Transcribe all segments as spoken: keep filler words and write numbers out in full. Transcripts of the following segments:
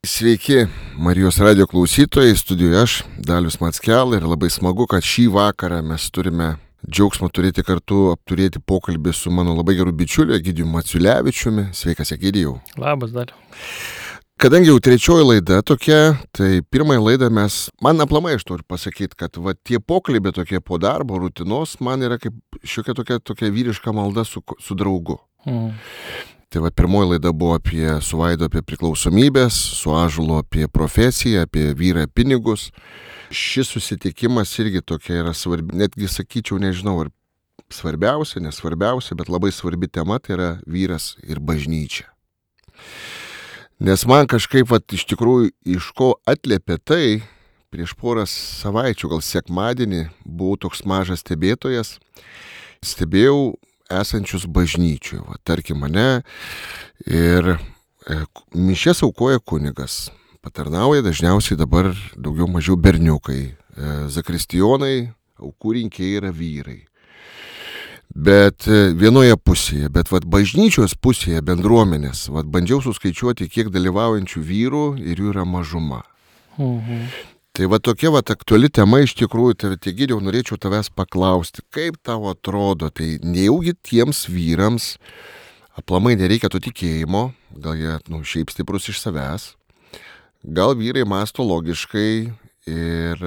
Sveiki, Marijos radio klausytojai, studijoje aš, Dalius Mackel, ir labai smagu, kad šį vakarą mes turime džiaugsmą turėti kartu, apturėti pokalbį su mano labai geru bičiuliu Egidijumi Maciulevičiumi. Sveikas, Egidijau. Labas, Daliu. Kadangi jau trečioji laida tokia, tai pirmąją laidą mes, man aplamai aš turiu pasakyti, kad va, tie pokalbiai tokie po darbo, rutinos, man yra kaip šiokia tokia, tokia vyriška malda su, su draugu. Mm. Tai va, pirmoji laida buvo apie, su Vaidu apie priklausomybės, su Ąžuolu apie profesiją, apie vyrą pinigus. Šis susitikimas irgi tokia yra svarbi, netgi sakyčiau, nežinau, ar svarbiausia, nesvarbiausia, bet labai svarbi tema, tai yra vyras ir bažnyčia. Nes man kažkaip, va, iš tikrųjų, iš ko atliepė tai, prieš porą savaičių, gal sekmadienį, buvau toks mažas stebėtojas, stebėjau esančius bažnyčių, va, tarkim mane, ir e, mišias aukoja kunigas, patarnauja dažniausiai dabar daugiau mažiau berniukai, e, zakristijonai, aukų rinkėjai yra vyrai. Bet e, vienoje pusėje, bet vat, bažnyčios pusėje bendruomenės, vat, bandžiau suskaičiuoti, kiek dalyvaujančių vyrų ir jų yra mažuma. Mhm. Tai va tokia va aktuali tema iš tikrųjų, tai Egidijau, norėčiau tavęs paklausti, kaip tau atrodo, tai nejaugi tiems vyrams aplamai nereikia to tikėjimo, gal jie, nu, šiaip stiprus iš savęs, gal vyrai mąsto logiškai ir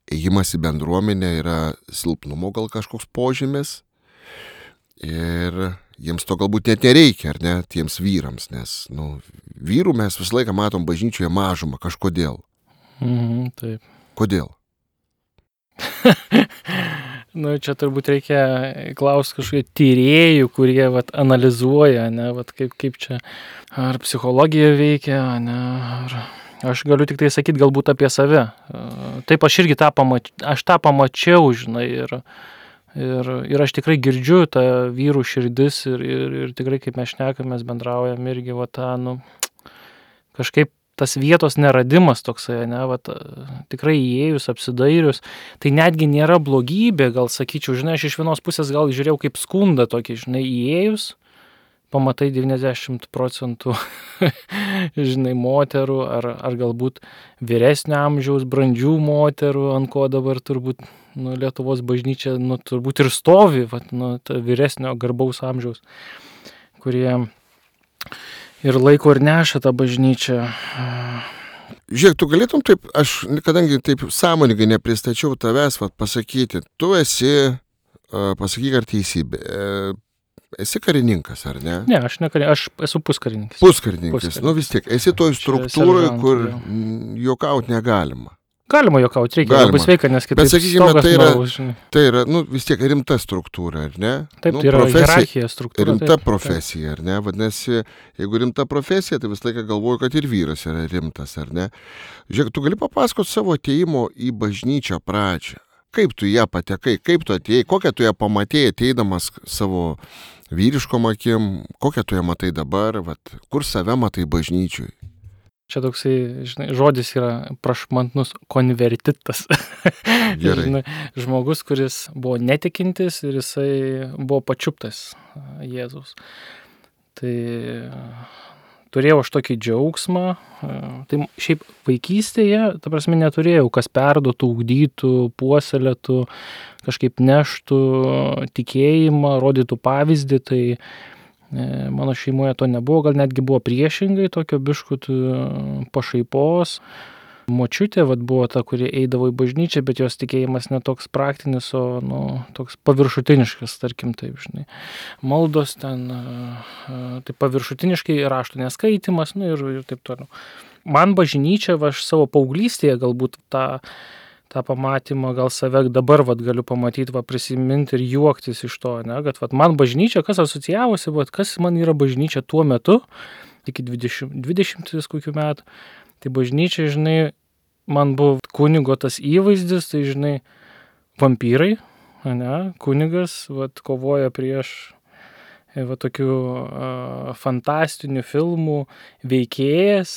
ėjimas į bendruomenę yra silpnumo gal kažkoks požymis ir jiems to galbūt net nereikia, ar ne, tiems vyrams, nes, nu, vyrų mes visą laiką matom bažnyčioje mažumą kažkodėl. Mhm, taip. Kodėl? Nu, čia turbūt reikia klausti kažkokių tyrėjų, kurie vat, analizuoja, ne, vat, kaip, kaip čia, ar psichologija veikia, ne, ar... Aš galiu tik tai sakyti galbūt apie save. Taip, aš irgi tą, pamač... aš tą pamačiau, žinai, ir, ir, ir aš tikrai girdžiu tą vyrų širdis ir, ir, ir tikrai, kaip mes šnekam, mes bendraujam irgi, va, tą, nu, kažkaip tas vietos neradimas toksai, ne, vat, tikrai įėjus, apsidairius, tai netgi nėra blogybė, gal sakyčiau, žinai, aš iš vienos pusės gal žiūrėjau kaip skundą tokį, žinai, įėjus, pamatai devyniasdešimt procentų, žinai, moterų, ar, ar galbūt vyresnio amžiaus, brandžių moterų, ant ko dabar turbūt, nu, Lietuvos bažnyčia, nu, turbūt ir stovi, vat, nu, vyresnio garbaus amžiaus, kurie ir laiko ir neša tą bažnyčią. Žiūrėk, tu galėtum taip, aš kadangi taip sąmoningai nepristačiau tavęs, vat, pasakyti, tu esi, pasakyk ar teisybė, esi karininkas, ar ne? Ne, aš ne karininkas, aš esu puskarininkis. Puskarininkas, Puskarininkas. Nu vis tiek, esi toj struktūroje, kur juokaut negalima. Galima juokauti, reikia, Galima. Labai sveika, nes kitaip Bet sakykime, stogas tai yra, nuaus, žinai. tai yra, nu, vis tiek rimta struktūra, ar ne? Taip, nu, tai yra hierarchija struktūra. Rimta taip, profesija, ar ne? Vadinasi, jeigu rimta profesija, tai visą laiką galvoju, kad ir vyras yra rimtas, ar ne? Žiūrėk, tu gali papasakoti savo atėjimo į bažnyčią pradžią. Kaip tu ją patekai, kaip tu atėjai, kokią tu ją pamatėjai ateidamas savo vyriškom akim, kokią tu ją matai dabar, vat, kur save matai bažnyčiui? Čia toksai, žinai, žodis yra prašmatnus konvertitas. Gerai. Žinai, žmogus, kuris buvo netikintis ir jisai buvo pačiuptas Jėzaus. Tai turėjau aš tokį džiaugsmą. Tai šiaip vaikystėje, ta prasme, neturėjau, kas perduotų, ugdytų, puoselėtų, kažkaip neštų tikėjimą, rodytų pavyzdį. Tai mano šeimoje to nebuvo, gal netgi buvo priešingai, tokio biškut pašaipos. Močiutė vat, buvo ta, kuri eidavo į bažnyčią, bet jos tikėjimas netoks praktinis, o nu, toks paviršutiniškas, tarkim taip, žinai. Maldos ten, taip paviršutiniškai, raštų neskaitimas, nu ir, ir taip toliau. Man bažnyčia, va, aš savo paauglystėje galbūt tą tą pamatymą, gal save dabar vat, galiu pamatyti, va, prisiminti ir juoktis iš to, ne, kad vat, man bažnyčia, kas asocijavosi, vat, kas man yra bažnyčia tuo metu, iki dvidešimt, dvidešimt kokių metų, tai bažnyčia, žinai, man buvo kunigo tas įvaizdis, tai, žinai, vampyrai, ne, kunigas, vat, kovoja prieš va, tokių uh, fantastinių filmų veikėjas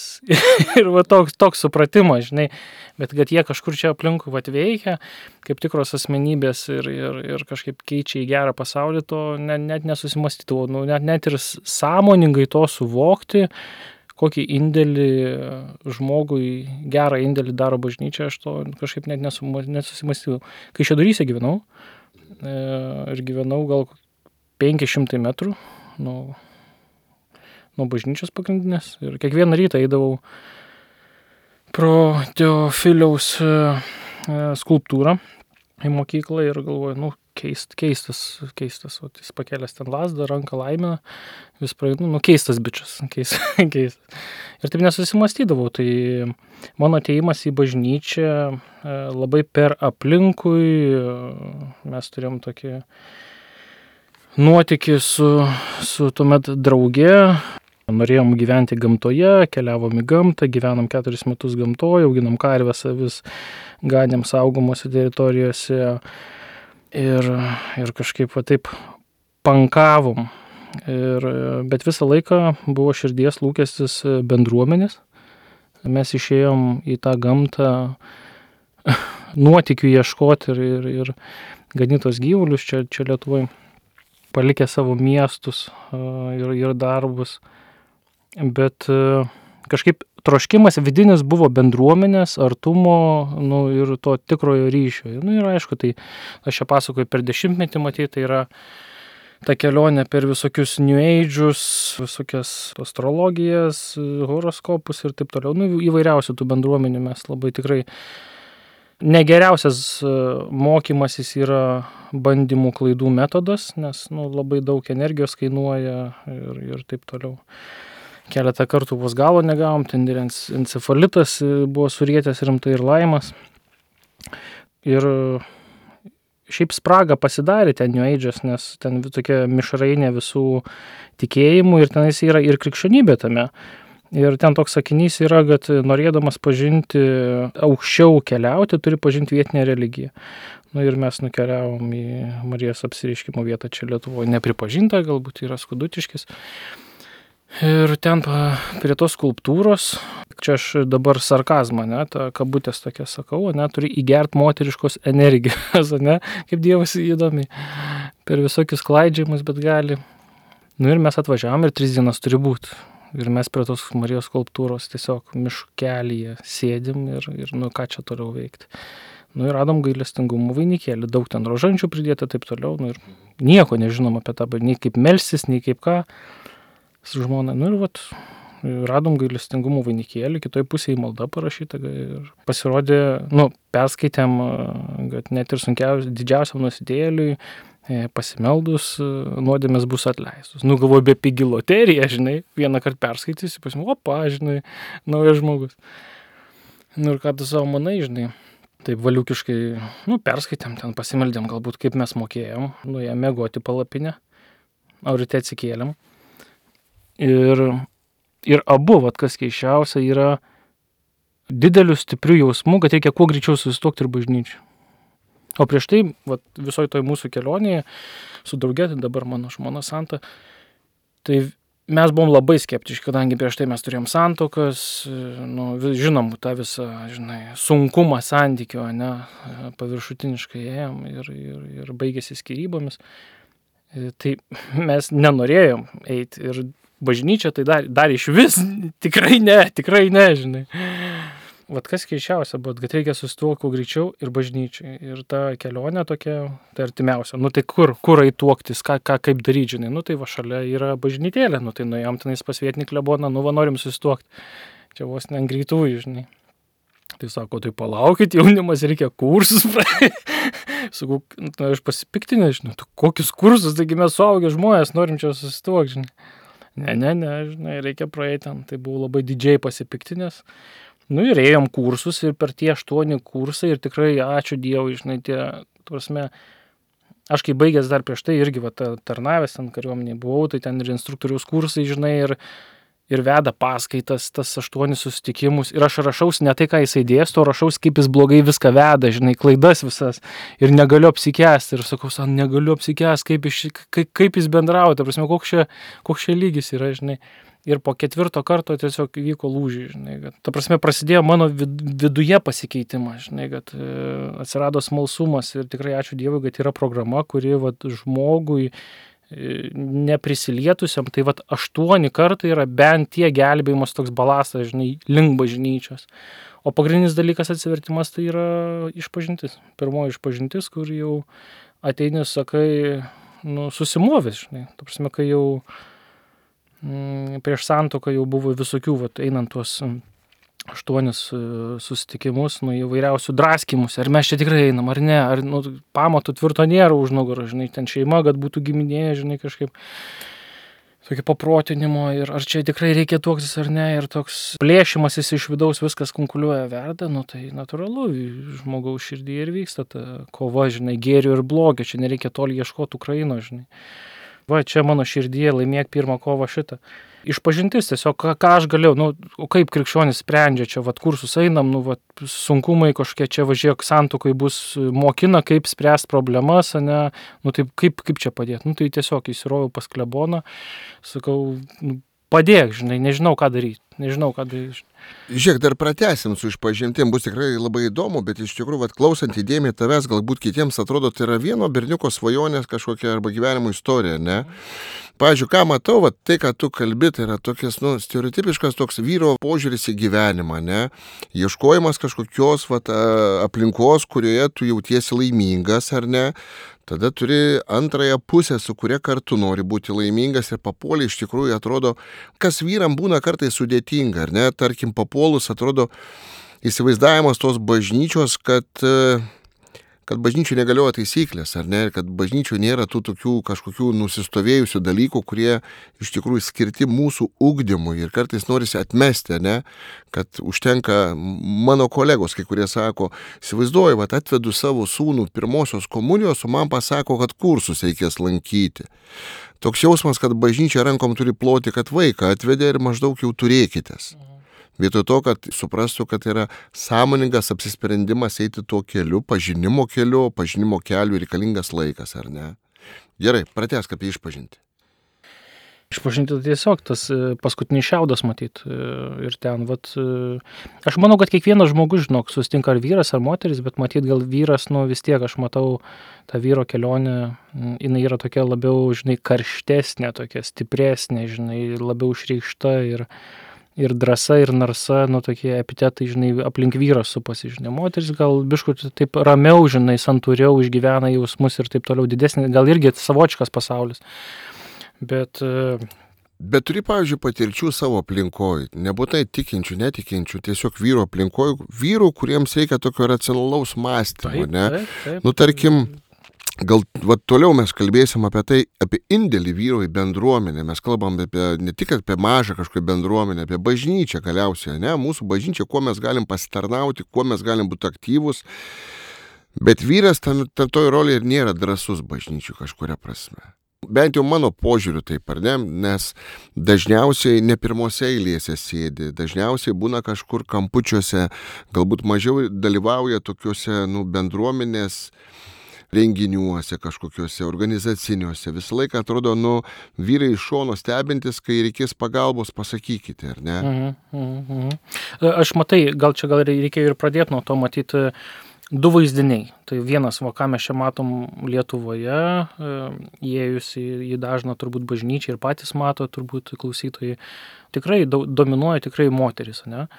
ir va, toks, toks supratimas, žinai, bet kad jie kažkur čia aplinkui vat, veikia, kaip tikros asmenybės ir, ir, ir kažkaip keičia į gerą pasaulį, to net, net nesusimastydavau, nu, net, net ir sąmoningai to suvokti, kokį indėlį žmogui, gerą indėlį daro bažnyčia, aš to kažkaip net nesusimąstydavau. Kai Šeduryse gyvenau, ir gyvenau gal penki šimtai metrų nuo, nuo bažnyčios pagrindinės, ir kiekvieną rytą eidavau pro Teofiliaus skulptūrą į mokyklą ir galvoju, nu, keist, keistas, keistas, o jis pakėlęs ten lasdą, ranką laimina, vis praeinu, nu, keistas bičias, keistas, keistas. Ir taip nesusimastydavau, tai mano atėjimas į bažnyčią labai per aplinkui, mes turėjom tokį nuotykį su, su tuomet drauge, norėjom gyventi gamtoje, keliavom į gamtą, gyvenom keturis metus gamtoje, auginom karves, avis, ganėm saugomose teritorijose ir, ir kažkaip va taip pankavom. Ir, bet visą laiką buvo širdies lūkestis bendruomenės. Mes išėjom į tą gamtą nuotykių ieškoti ir, ir, ir ganytos gyvulius čia, čia Lietuvoje, palikę savo miestus ir, ir darbus. Bet kažkaip troškimas vidinis buvo bendruomenės, artumo, nu, ir to tikrojo ryšio. Nu, ir aišku, tai aš čia pasakoju per dešimtmetį, matyti, tai yra ta kelionė per visokius New Age'us, visokias astrologijas, horoskopus ir taip toliau. Nu, įvairiausių tų bendruomenių mes labai tikrai negeriausias mokymasis yra bandymų klaidų metodas, nes nu, labai daug energijos kainuoja ir, ir taip toliau. Keletą kartų vos galo negavom, ten ir encefalitas buvo surietęs rimtai ir laimas. Ir šiaip spragą pasidarė ten New Age'as, nes ten tokia mišrainė visų tikėjimų ir tenais yra ir krikščionybė tame. Ir ten toks sakinys yra, kad norėdamas pažinti, aukščiau keliauti, turi pažinti vietinę religiją. Nu ir mes nukeliavom į Marijos apsireiškimo vietą čia Lietuvoje, nepripažinta, galbūt yra Skudutiškis. Ir ten prie tos skulptūros, čia aš dabar sarkazmą, ne, tą kabutės tokia sakau, ne, turi įgert moteriškos energijos, ne, kaip Dievas įdomiai, per visokius klaidžiamus, bet gali. Nu ir mes atvažiavom ir tris dienas turi būti. Ir mes prie tos Marijos skulptūros tiesiog miškelyje sėdim ir, ir nu ką čia toliau veikti. Nu ir radom gailestingumo vainikėlį, daug ten rožančių pridėta, taip toliau, nu ir nieko nežinom apie tą, nei kaip melstis, nei kaip ką. Su žmona, nu ir vat, radom gailestingumo vainikėlį, kitoj pusėje malda parašyta ir pasirodė, nu, perskaitėm, kad net ir sunkiausiam, didžiausiam nusidėjėliui pasimeldus nuodėmės bus atleistos. Nu, galvoju, be pigi loterija, žinai, vieną kartą perskaitysi, pasim, opa, žinai, naujas žmogus. Nu ir ką tu savo manai, žinai, taip valiukiškai, nu, perskaitėm, ten pasimeldėm, galbūt kaip mes mokėjom, nu, jie mėgoti palapinę, o ryte atsikėlėm. Ir, ir abu, vat, kas keiščiausia, yra didelių stiprių jausmų, kad reikia kuo greičiau susituokti ir bažnyčiai. O prieš tai, vat, visoj toj mūsų kelionėje, su drauge, tai dabar mano žmona Santa, tai mes buvom labai skeptiški, kadangi prieš tai mes turėjom santuokas, nu, žinom, tą visą, žinai, sunkumą santykio, ne, paviršutiniškai ėjom ir, ir, ir baigėsi skyrybomis. Tai mes nenorėjom eiti ir bažnyčia tai dar, dar iš vis, tikrai ne, tikrai ne, žinai. Vat kas keičiausia, bet kad reikia susituokti kuo greičiau ir bažnyčiai. Ir ta kelionė tokia, tai artimiausia. Nu tai kur, kur eituoktis, ką, ką kaip daryti, žinai. Nu tai va šalia yra bažnytėlė, nu tai nuėjom tenais pas vietinį kleboną, nu va norim susituokti. Čia vos ne ant greitųjų, žinai. Tai sako, tai palaukit, jaunimas, reikia kursus praeiti. Sakau, nu aš pasipiktinę, žinai, tu kokius kursus, taigi mes suaugę žmonės, norim čia susituokti, žinai. Ne, ne, ne, žinai, reikia praeiti ten. Tai buvau labai didžiai pasipiktinęs. Nu ir ėjom kursus ir per tie aštuoni kursai ir tikrai ačiū Dievui, žinai, tie, prasme, aš kai baigęs dar prieš tai irgi va, tarnavęs ten kariuomenėje buvau, tai ten ir instruktoriaus kursai, žinai, ir, ir veda paskaitas, tas aštuonis susitikimus. Ir aš rašaus ne tai, ką jisai dėsto, rašaus, kaip jis blogai viską veda, žinai, klaidas visas. Ir negaliu apsikęsti. Ir sakau, san, negaliu apsikęsti, kaip, kaip, kaip jis bendrauja, ta prasme, koks čia, koks čia lygis yra, žinai. Ir po ketvirto karto tiesiog vyko lūžiai, žinai, kad, ta prasme, prasidėjo mano vid- viduje pasikeitimas, žinai, kad e, atsirado smalsumas ir tikrai ačiū Dievui, kad yra programa, kuri vat, žmogui neprisilietusiam, tai vat aštuoni kartai yra bent tie gelbėjimas toks balastas, žinai, link bažnyčios. O pagrindinis dalykas atsivertimas tai yra išpažintis. Pirmoji išpažintis, kur jau ateini, sakai, nu, susimovęs, žinai. Ta prasme, kai jau mm, prieš santuoką jau buvo visokių, vat, einant tuos aštuonis susitikimus, nu, įvairiausių draskimus, ar mes čia tikrai einam, ar ne, ar nu, pamatų tvirto nėra už nugarą, žinai, ten šeima, kad būtų giminė, žinai, kažkaip tokio paprotinimo, ir ar čia tikrai reikia tuoktis ar ne, ir toks plėšimasis iš vidaus viskas kunkuliuoja verda, nu tai natūralu, žmogaus širdyje ir vyksta ta kova, žinai, gėrio ir blogio, čia nereikia toli ieškoti Ukraino, žinai. Va, čia mano širdyje laimėk pirmą kovą šitą. Išpažintis tiesiog, ką, ką aš galėjau, nu, kaip krikščionis sprendžia, čia, vat, kursus einam, nu, vat, sunkumai kažkokie, čia važiuok santuokai bus mokina, kaip spręst problemas, ne, nu, taip, kaip, kaip čia padėti, nu, tai tiesiog įsirovau pas kleboną, sakau, nu, padėk, žinai, nežinau, ką daryti, nežinau, ką daryti. Žiūrėk, dar pratęsim su išpažintim, bus tikrai labai įdomu, bet iš tikrųjų, vat, klausant įdėmiai tavęs, galbūt kitiems atrodo, tai yra vieno berniuko svajonės kažkokia arba gyvenimo istorija, ne? Pavyzdžiui, ką matau, vat, tai, ką tu kalbi, tai yra tokias, nu, stereotipiškas toks vyro požiūris į gyvenimą, ne? Ieškojimas kažkokios, vat, aplinkos, kurioje tu jautiesi laimingas, ar ne? Tada turi antrąją pusę, su kuria kartu nori būti laimingas, ir papuolė iš tikrųjų atrodo, kas vyram būna kartais sudėtinga, ar ne? Tarkim, papuolus atrodo įsivaizdavimas tos bažnyčios, kad, kad bažnyčių negalioja taisyklės, ar ne? Ir kad bažnyčių nėra tų tokių kažkokių nusistovėjusių dalykų, kurie iš tikrųjų skirti mūsų ugdymui, ir kartais norisi atmesti, ne? Kad užtenka, mano kolegos, kai kurie sako, įsivaizduoju, vat, atvedu savo sūnų pirmosios komunijos, o man pasako, kad kursus reikės lankyti. Toks jausmas, kad bažnyčia rankom turi ploti, kad vaiką atvedė ir maždaug jau turėkitės. Vietoj to, kad suprastų, kad yra sąmoningas apsisprendimas eiti tuo keliu, pažinimo keliu, pažinimo keliu reikalingas laikas, ar ne? Gerai, pratęsk apie išpažinti. Išpažinti tiesiog tas paskutinis šiaudas matyt. Ir ten, vat, aš manau, kad kiekvienas žmogus, žinok, susitinka ar vyras, ar moteris, bet matyt, gal vyras, nu vis tiek, aš matau tą vyro kelionę, jinai yra tokia labiau, žinai, karštesnė, tokia stipresnė, žinai, labiau išreikšta ir, ir drąsa, ir narsa, nu tokie epitetai, žinai, aplink vyrą supasi, žinai, moteris gal biškut taip ramiau, žinai, santūriau išgyvena jausmus ir taip toliau didesnė, gal irgi savotiškas pasaulis. Bet, Bet turi, pavyzdžiui, patirčių savo aplinkoj, nebūtai tikinčių, netikinčių, tiesiog vyro aplinkoj, vyrų, kuriems reikia tokio racionalaus mąstymo, taip, ne? taip, taip. Nu, tarkim, gal va, toliau mes kalbėsim apie tai, apie indėlį vyro į bendruomenę, mes kalbam apie, ne tik apie mažą kažkokią bendruomenę, apie bažnyčią galiausiai, ne? Mūsų bažnyčia, kuo mes galim pasitarnauti, kuo mes galim būti aktyvūs, bet vyras tam, tam toj rolė ir nėra drąsus bažnyčių kažkuria prasme. Bent jau mano požiūriu taip, ar ne, nes dažniausiai ne pirmose eilėse sėdi, dažniausiai būna kažkur kampučiuose, galbūt mažiau dalyvauja tokiuose, nu, bendruomenės renginiuose, kažkokiuose organizaciniuose. Visą laiką atrodo, nu, vyrai iš šono stebintis, kai reikės pagalbos, pasakykite, ar ne? Mhm, mhm. Aš matai, gal čia gal reikėjo ir pradėti nuo to matyti du vaizdiniai. Tai vienas, va, ką mes čia matom Lietuvoje, įėjus į, į dažną turbūt bažnyčią ir patys mato, turbūt klausytojai, tikrai do, dominuoja tikrai moteris, ne?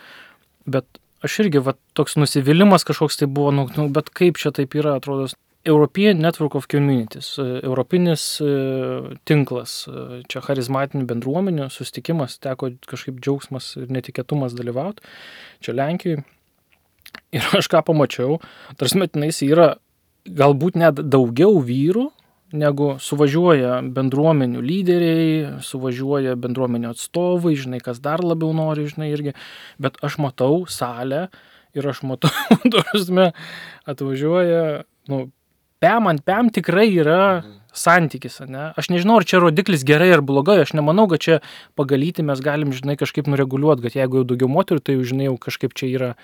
Bet aš irgi, va, toks nusivylimas kažkoks tai buvo, nu, nu, bet kaip čia taip yra, atrodo, European Network of Communities, europinis tinklas, čia charizmatinių bendruomenių susitikimas, teko kažkaip džiaugsmas ir netikėtumas dalyvauti, čia Lenkijoje. Ir aš ką pamačiau, tarsi metinais yra galbūt net daugiau vyrų, negu suvažiuoja bendruomenių lyderiai, suvažiuoja bendruomenių atstovai, žinai, kas dar labiau nori, žinai, irgi. Bet aš matau salę ir aš matau, tarsi atvažiuoja, nu, pem ant pem tikrai yra santykis, ne? Aš nežinau, ar čia rodiklis gerai ar blogai, aš nemanau, kad čia pagalyti mes galim, žinai, kažkaip nureguliuoti, kad jeigu jau daugiau moterų, tai jau, žinai, jau kažkaip čia yra.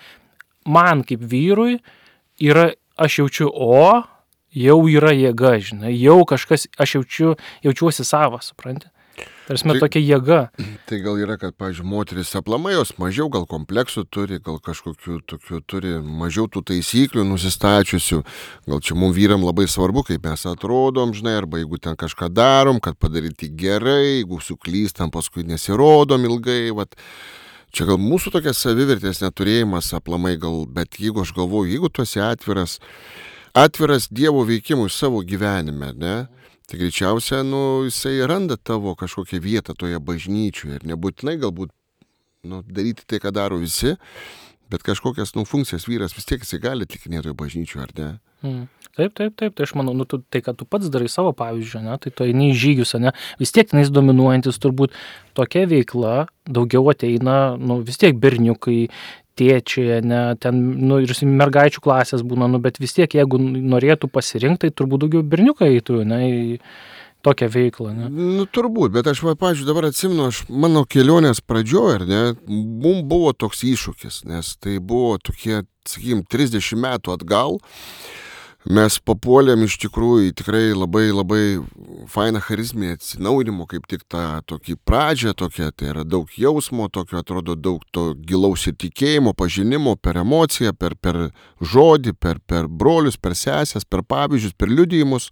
Man kaip vyrui yra, aš jaučiu, o, jau yra jėga, žinai, jau kažkas, aš jaučiu, jaučiuosi savas, supranti? Tarsi Tai- tokia jėga. Tai gal yra, kad, pavyzdžiui, moteris aplamai jos mažiau gal kompleksų turi, gal kažkokių tokių turi mažiau tų taisyklių nusistačiusių. Gal čia mums vyram labai svarbu, kaip mes atrodom, žinai, arba jeigu ten kažką darom, kad padaryti gerai, jeigu suklystam, paskui nesirodom ilgai, vat. Čia gal mūsų tokia savivertės neturėjimas aplamai gal, bet jeigu aš galvoju, jeigu tu esi atviras, atviras Dievo veikimui savo gyvenime, ne? Tai greičiausia, nu, jisai randa tavo kažkokią vietą toje bažnyčioje ir nebūtinai galbūt, nu, daryti tai, ką daro visi, bet kažkokias, nu, funkcijas vyras vis tiek jisai gali atlikinėti bažnyčioje, ar ne? Mm. Taip, taip, taip, tai aš manau, nu, tu, tai, kad tu pats darai savo pavyzdžių, ne, tai tu eini į žygius, ne, vis tiek tenais dominuojantis turbūt tokia veikla, daugiau ateina, nu, vis tiek berniukai, tėčiai, ne, ten, nu, ir mergaičių klasės būna, nu, bet vis tiek, jeigu norėtų pasirinkti, tai turbūt daugiau berniukai eitų, ne, į tokią veiklą, ne. Nu, turbūt, bet aš, va, pavyzdžiui, dabar atsimenu, aš mano kelionės pradžioje, ar ne, mums buvo toks iššūkis, nes tai buvo tokie, sakykim, trisdešimt metų atgal. Mes papuolėm iš tikrųjų tikrai labai labai fainą charizminį atsinaujinimo, kaip tik tą tokį pradžią, tokia, tai yra daug jausmo, tokio atrodo daug to gilaus įtikėjimo, pažinimo per emociją, per, per žodį, per, per brolius, per sesės, per pavyzdžius, per liudijimus.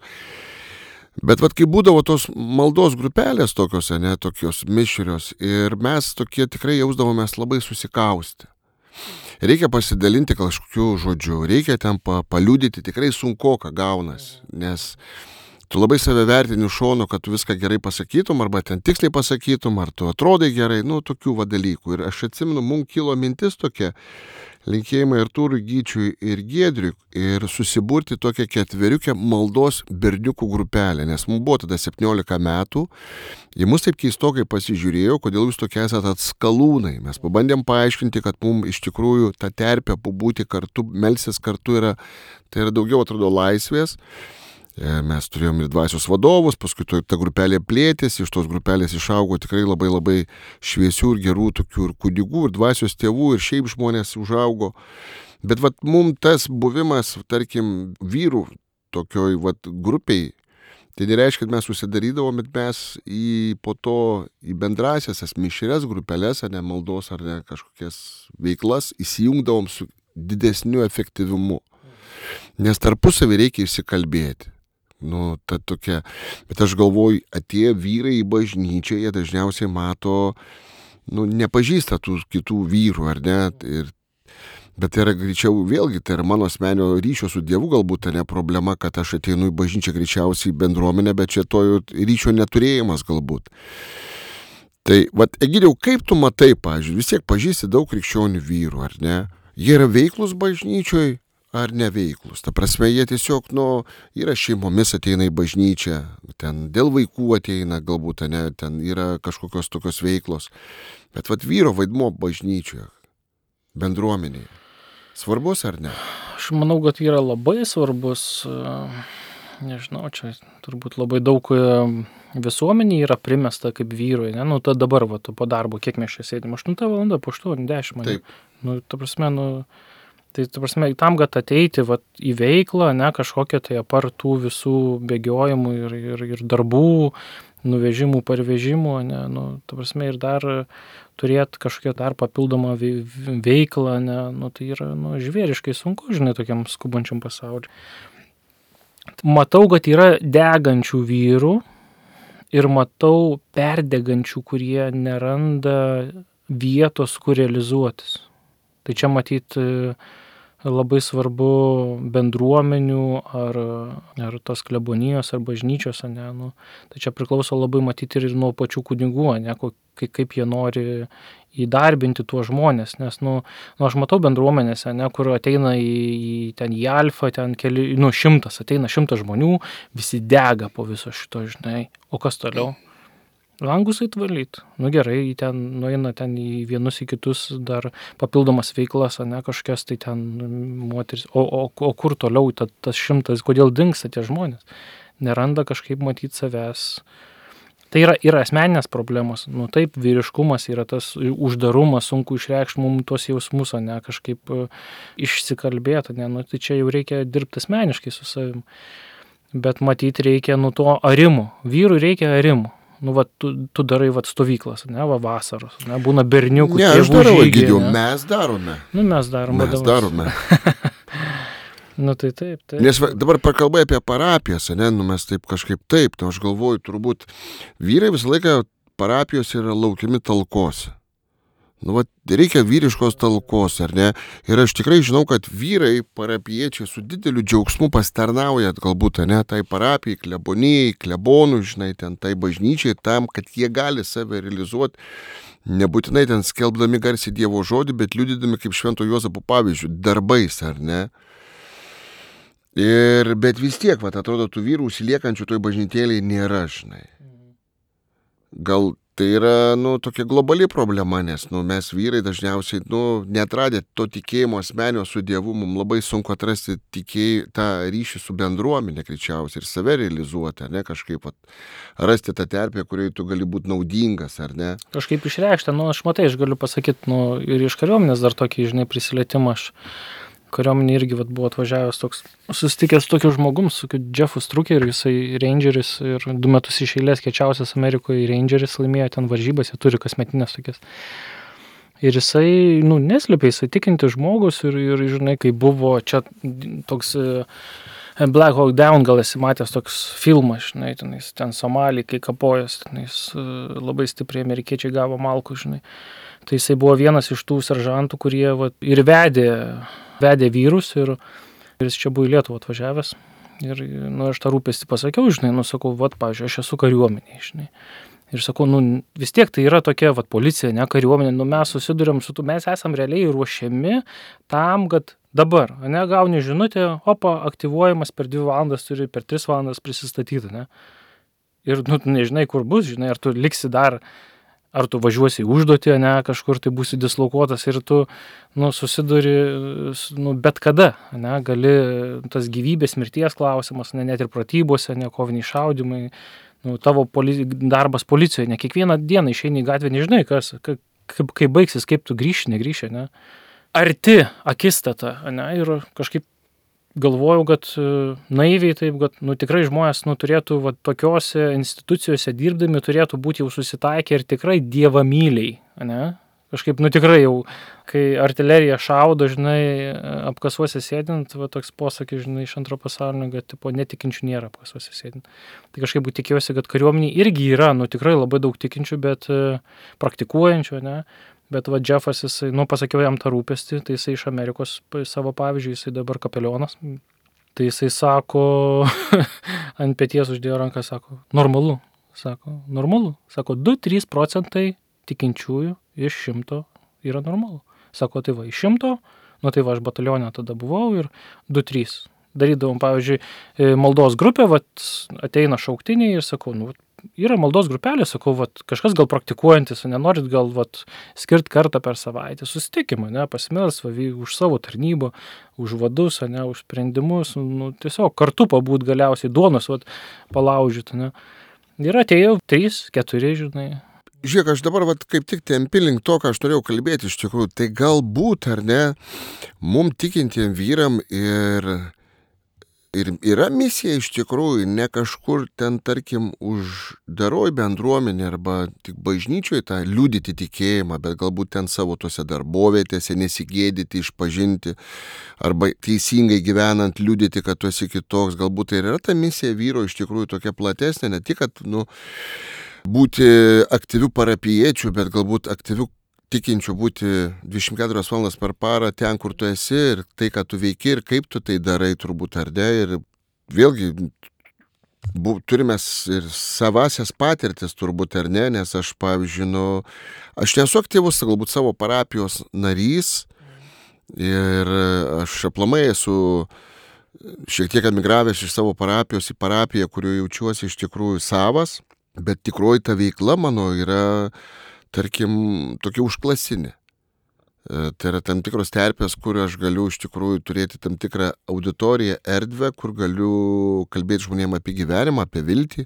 Bet vat kai būdavo tos maldos grupelės tokios, ne, tokios mišrios ir mes tokie tikrai jausdavomės labai susikausti. Reikia pasidalinti kažkokiu žodžiu, reikia ten pa, paliudyti, tikrai sunkoka gaunasi, nes tu labai save vertini šono, kad tu viską gerai pasakytum, arba ten tiksliai pasakytum, ar tu atrodai gerai, nu, tokių va dalykų. Ir aš atsimenu, mums kilo mintis tokia, linkėjimai Artūrui Gyčiui ir Giedriui, ir susiburti tokią ketveriukę maldos berniukų grupelę, nes mums buvo tada septyniolika metų, jie mus taip keistokai pasižiūrėjo, kodėl jūs tokie esate atskalūnai. Mes pabandėm paaiškinti, kad mums iš tikrųjų ta terpė pabūti kartu, melsis kartu yra, tai yra daugiau atrodo laisvės. Mes turėjom ir dvasios vadovus, paskui ta grupelė plėtėsi, iš tos grupelės išaugo tikrai labai labai šviesių ir gerų tokių ir kunigų, ir dvasios tėvų, ir šiaip žmonės užaugo. Bet vat mums tas buvimas, tarkim, vyrų tokioj vat grupiai, tai nereiškia, kad mes susidarydavom, bet mes į po to į bendrasias, mišrias grupelės, ar ne maldos, ar ne kažkokias veiklas įsijungdavom su didesniu efektyvumu. Nes tarpusavį reikia išsikalbėti. Nu, ta tokia, bet aš galvoju, atėję vyrai į bažnyčią, jie dažniausiai mato, nu, nepažįsta tų kitų vyrų, ar ne, ir, bet tai yra greičiau, vėlgi, tai yra mano asmenio ryšio su Dievu galbūt, tai ne problema, kad aš ateinu į bažnyčią greičiausiai į bendruomenę, bet čia to ryšio neturėjimas galbūt. Tai, vat, Egidijau, kaip tu matai, pavyzdžiui, vis tiek pažįsti daug krikščionių vyrų, ar ne, jie yra veiklus bažnyčioj, ar neveiklus. Ta prasme, jie tiesiog, nu, yra šeimomis ateina į bažnyčią, ten dėl vaikų ateina, galbūt, ne, ten yra kažkokios tokios veiklos. Bet vat vyro vaidmuo bažnyčioje, bendruomenėje, svarbus ar ne? Aš manau, kad yra labai svarbus, nežinau, čia turbūt labai daug visuomenė yra primesta kaip vyrui, ne, nu, ta dabar, va, tu po darbo, kiek mes čia sėdim, aštuntą valandą, po aštuonių, dešimt, ne? Taip. Nu, ta prasme, nu, tai, ta prasme, tam, kad ateiti vat, į veiklą, ne, kažkokią tai apart tų visų bėgiojimų ir, ir, ir darbų, nuvežimų, parvežimų, ne, nu, ta prasme, ir dar turėti kažkokią dar papildomą veiklą, ne, nu, tai yra, nu, žvėriškai sunku, žinai, tokiam skubančiam pasauliu. Matau, kad yra degančių vyrų ir matau perdegančių, kurie neranda vietos, kur realizuotis. Tai čia matyt labai svarbu bendruomenių ar, ar tos klebonijos ar bažnyčios, ne, nu, tai čia priklauso labai matyti ir nuo pačių kunigų, ne, kaip, kaip jie nori įdarbinti tuos žmonės, nes, nu, nu aš matau bendruomenėse, ne, kur ateina į, į, ten į alfą, ten keli, nu, šimtas, ateina šimtas žmonių, visi dega po viso šito, žinai, o kas toliau? Langus atvalyt. Nu gerai, ten nueina ten į vienus į kitus dar papildomas veiklas, ne, kažkokias tai ten moteris. O, o, o kur toliau ta, tas šimtas, kodėl dingsta tie žmonės? Neranda kažkaip matyti savęs. Tai yra, yra asmeninės problemos. Nu taip, vyriškumas yra tas uždarumas, sunku išreikšti mums tuos jausmus, ne, kažkaip išsikalbėti, ne, nu tai čia jau reikia dirbti asmeniškai su savim. Bet matyti reikia nu to arimo. Vyrui reikia arimo. Nu, va, tu, tu darai va, stovyklas, ne, va, vasaros, ne, būna berniukų, Ne, aš tėvų darau, žygiai, Egidijau, ne. mes darome. Nu, mes darom. Mes vadovas. darome. Nu, tai taip, taip. Nes va, dabar prakalbai apie parapijas, ne, nu mes taip kažkaip taip, tai aš galvoju, turbūt vyrai visą laiką parapijos yra laukiami talkose. Nu, va, reikia vyriškos talkos, ar ne? Ir aš tikrai žinau, kad vyrai, parapiečiai su dideliu džiaugsmu pastarnauja, galbūt, ne, tai parapijai, klebonijai, klebonų, žinai, ten tai bažnyčiai, tam, kad jie gali save realizuoti, nebūtinai ten skelbdami garsiai Dievo žodį, bet liudydami kaip Švento Juozapo pavyzdžių, darbais, ar ne? Ir, bet vis tiek, va, atrodo, tų vyrų užsiliekančių toj bažnytėlėje nėra, žinai. Gal tai yra, nu, tokia globali problema, nes, nu, mes vyrai dažniausiai, nu, neatradę to tikėjimo asmenio su Dievu, mums labai sunku atrasti tikėj, tą ryšį su bendruomenė, greičiausiai, ir save realizuoti, ne, kažkaip, at, rasti tą terpę, kurioje tu gali būti naudingas, ar ne? Kažkaip išreikšta, nu, aš matai, aš galiu pasakyti, nu, ir iš kariuomenės dar tokį, žinai, prisilietimą aš. Kariuomenė irgi vat, buvo atvažiavęs toks, susitikęs tokiu žmogum, su Jeffu Strukeriu, jisai Rangeris ir du metus iš eilės kiečiausias Amerikoje Rangeris laimėjo ten varžybas, jie turi kasmetinės tokias. Ir jisai, nu, neslėpė, jisai tikinti žmogus ir, ir, žinai, kai buvo čia toks Black Hawk Down, gal esi matęs toks filmas, žinai, ten, ten Somalį, kai kapojas, ten jis labai stipriai amerikiečiai gavo malkų, žinai. Tai jisai buvo vienas iš tų seržantų, kurie vat, ir vedė, vedė vyrus ir, ir jis čia buvo į Lietuvą atvažiavęs. Ir, nu, aš tą rūpestį pasakiau, žinai, nu, sakau, vat, pavyzdžiui, aš esu kariuomenė, žinai. Ir sakau, nu, vis tiek tai yra tokia, vat, policija, ne kariuomenė, nu, mes susiduriam su tu, mes esam realiai ruošiami tam, kad dabar, ne, gauni žinutę, opa, aktyvuojamas per dvi valandas, turi per tris valandas prisistatyti, ne. Ir, nu, nežinai, kur bus, žinai, ar tu liksi dar, ar tu važiuosi į užduotį, ne, kažkur tai būsi dislokuotas ir tu, nu, susiduri, nu, bet kada, ne, gali tas gyvybės mirties klausimas, ne, net ir pratybose, ne, koviniai šaudimai, nu, tavo poli, darbas policijoje, ne, kiekvieną dieną išeini į gatvę, nežinai, kas, kaip, kaip baigsis, kaip tu grįši, negrįši, ne. Arti akistata, ne, ir kažkaip galvojau, kad naiviai taip, kad, nu, tikrai žmonės, nu, turėtų, va, tokiose institucijose dirbdami, turėtų būti jau susitaikę ir tikrai dievamyliai, ne? Kažkaip, nu, tikrai jau, kai artilerija šaudo, žinai, apkasuose sėdint, va, toks posakis, žinai, iš antro pasaulinio, kad, tipo, netikinčių nėra apkasuose sėdint. Tai kažkaip tikiuosi, kad kariuomenė irgi yra, nu, tikrai labai daug tikinčių, bet praktikuojančių, ne? Bet va, Jeffas, jisai, nu, pasakiau jam tą rūpestį, tai jisai iš Amerikos savo pavyzdžiui, jisai dabar kapelionas. Tai jisai sako, ant peties uždėjo ranką, sako, normalu, sako, normalu. Sako, du trys procentai tikinčiųjų iš šimto yra normalu. Sako, tai va, iš šimto, nu tai va, aš batalione tada buvau ir du trys. Darydavom, pavyzdžiui, maldos grupę, va, ateina šauktiniai ir sakau, nu, yra maldos grupelė, sakau, vat, kažkas gal praktikuojantis, nenorit gal vat, skirt kartą per savaitę, susitikimą, ne, pasimels va, už savo tarnybą, už vadus, ne, už sprendimus, nu, tiesiog kartu pabūt galiausiai duonos vat, palaužyti. Ne. Ir atėjau trys, keturi, žinai. Žiūrėk, aš dabar vat, kaip tik tempi link to, ką aš norėjau kalbėti iš tikrųjų, tai galbūt, ar ne, mum tikintiem vyram ir Ir yra misija iš tikrųjų ne kažkur ten, tarkim, uždaroj bendruomenė arba tik bažnyčioje tą liudyti tikėjimą, bet galbūt ten savo tose darbovietėse nesigėdyti, išpažinti arba teisingai gyvenant liudyti, kad tu esi kitoks. Galbūt tai yra ta misija vyro iš tikrųjų tokia platesnė, ne tik, kad nu, būti aktyvių parapijiečių, bet galbūt aktyvių tikinčių būti dvidešimt keturias valandas per parą ten, kur tu esi ir tai, ką tu veiki ir kaip tu tai darai turbūt ar ne. Ir vėlgi bu, turime ir savasias patirtis turbūt ar ne, nes aš, pavyzdžiui, nu, aš nesu aktyvus galbūt savo parapijos narys ir aš aplamai esu šiek tiek emigravęs iš savo parapijos į parapiją, kurioje jaučiuosi iš tikrųjų savas, bet tikroji ta veikla mano yra tarkim, tokia užklasinė. Tai yra tam tikros terpės, kur aš galiu iš tikrųjų turėti tam tikrą auditoriją, erdvę, kur galiu kalbėti žmonėm apie gyvenimą, apie viltį,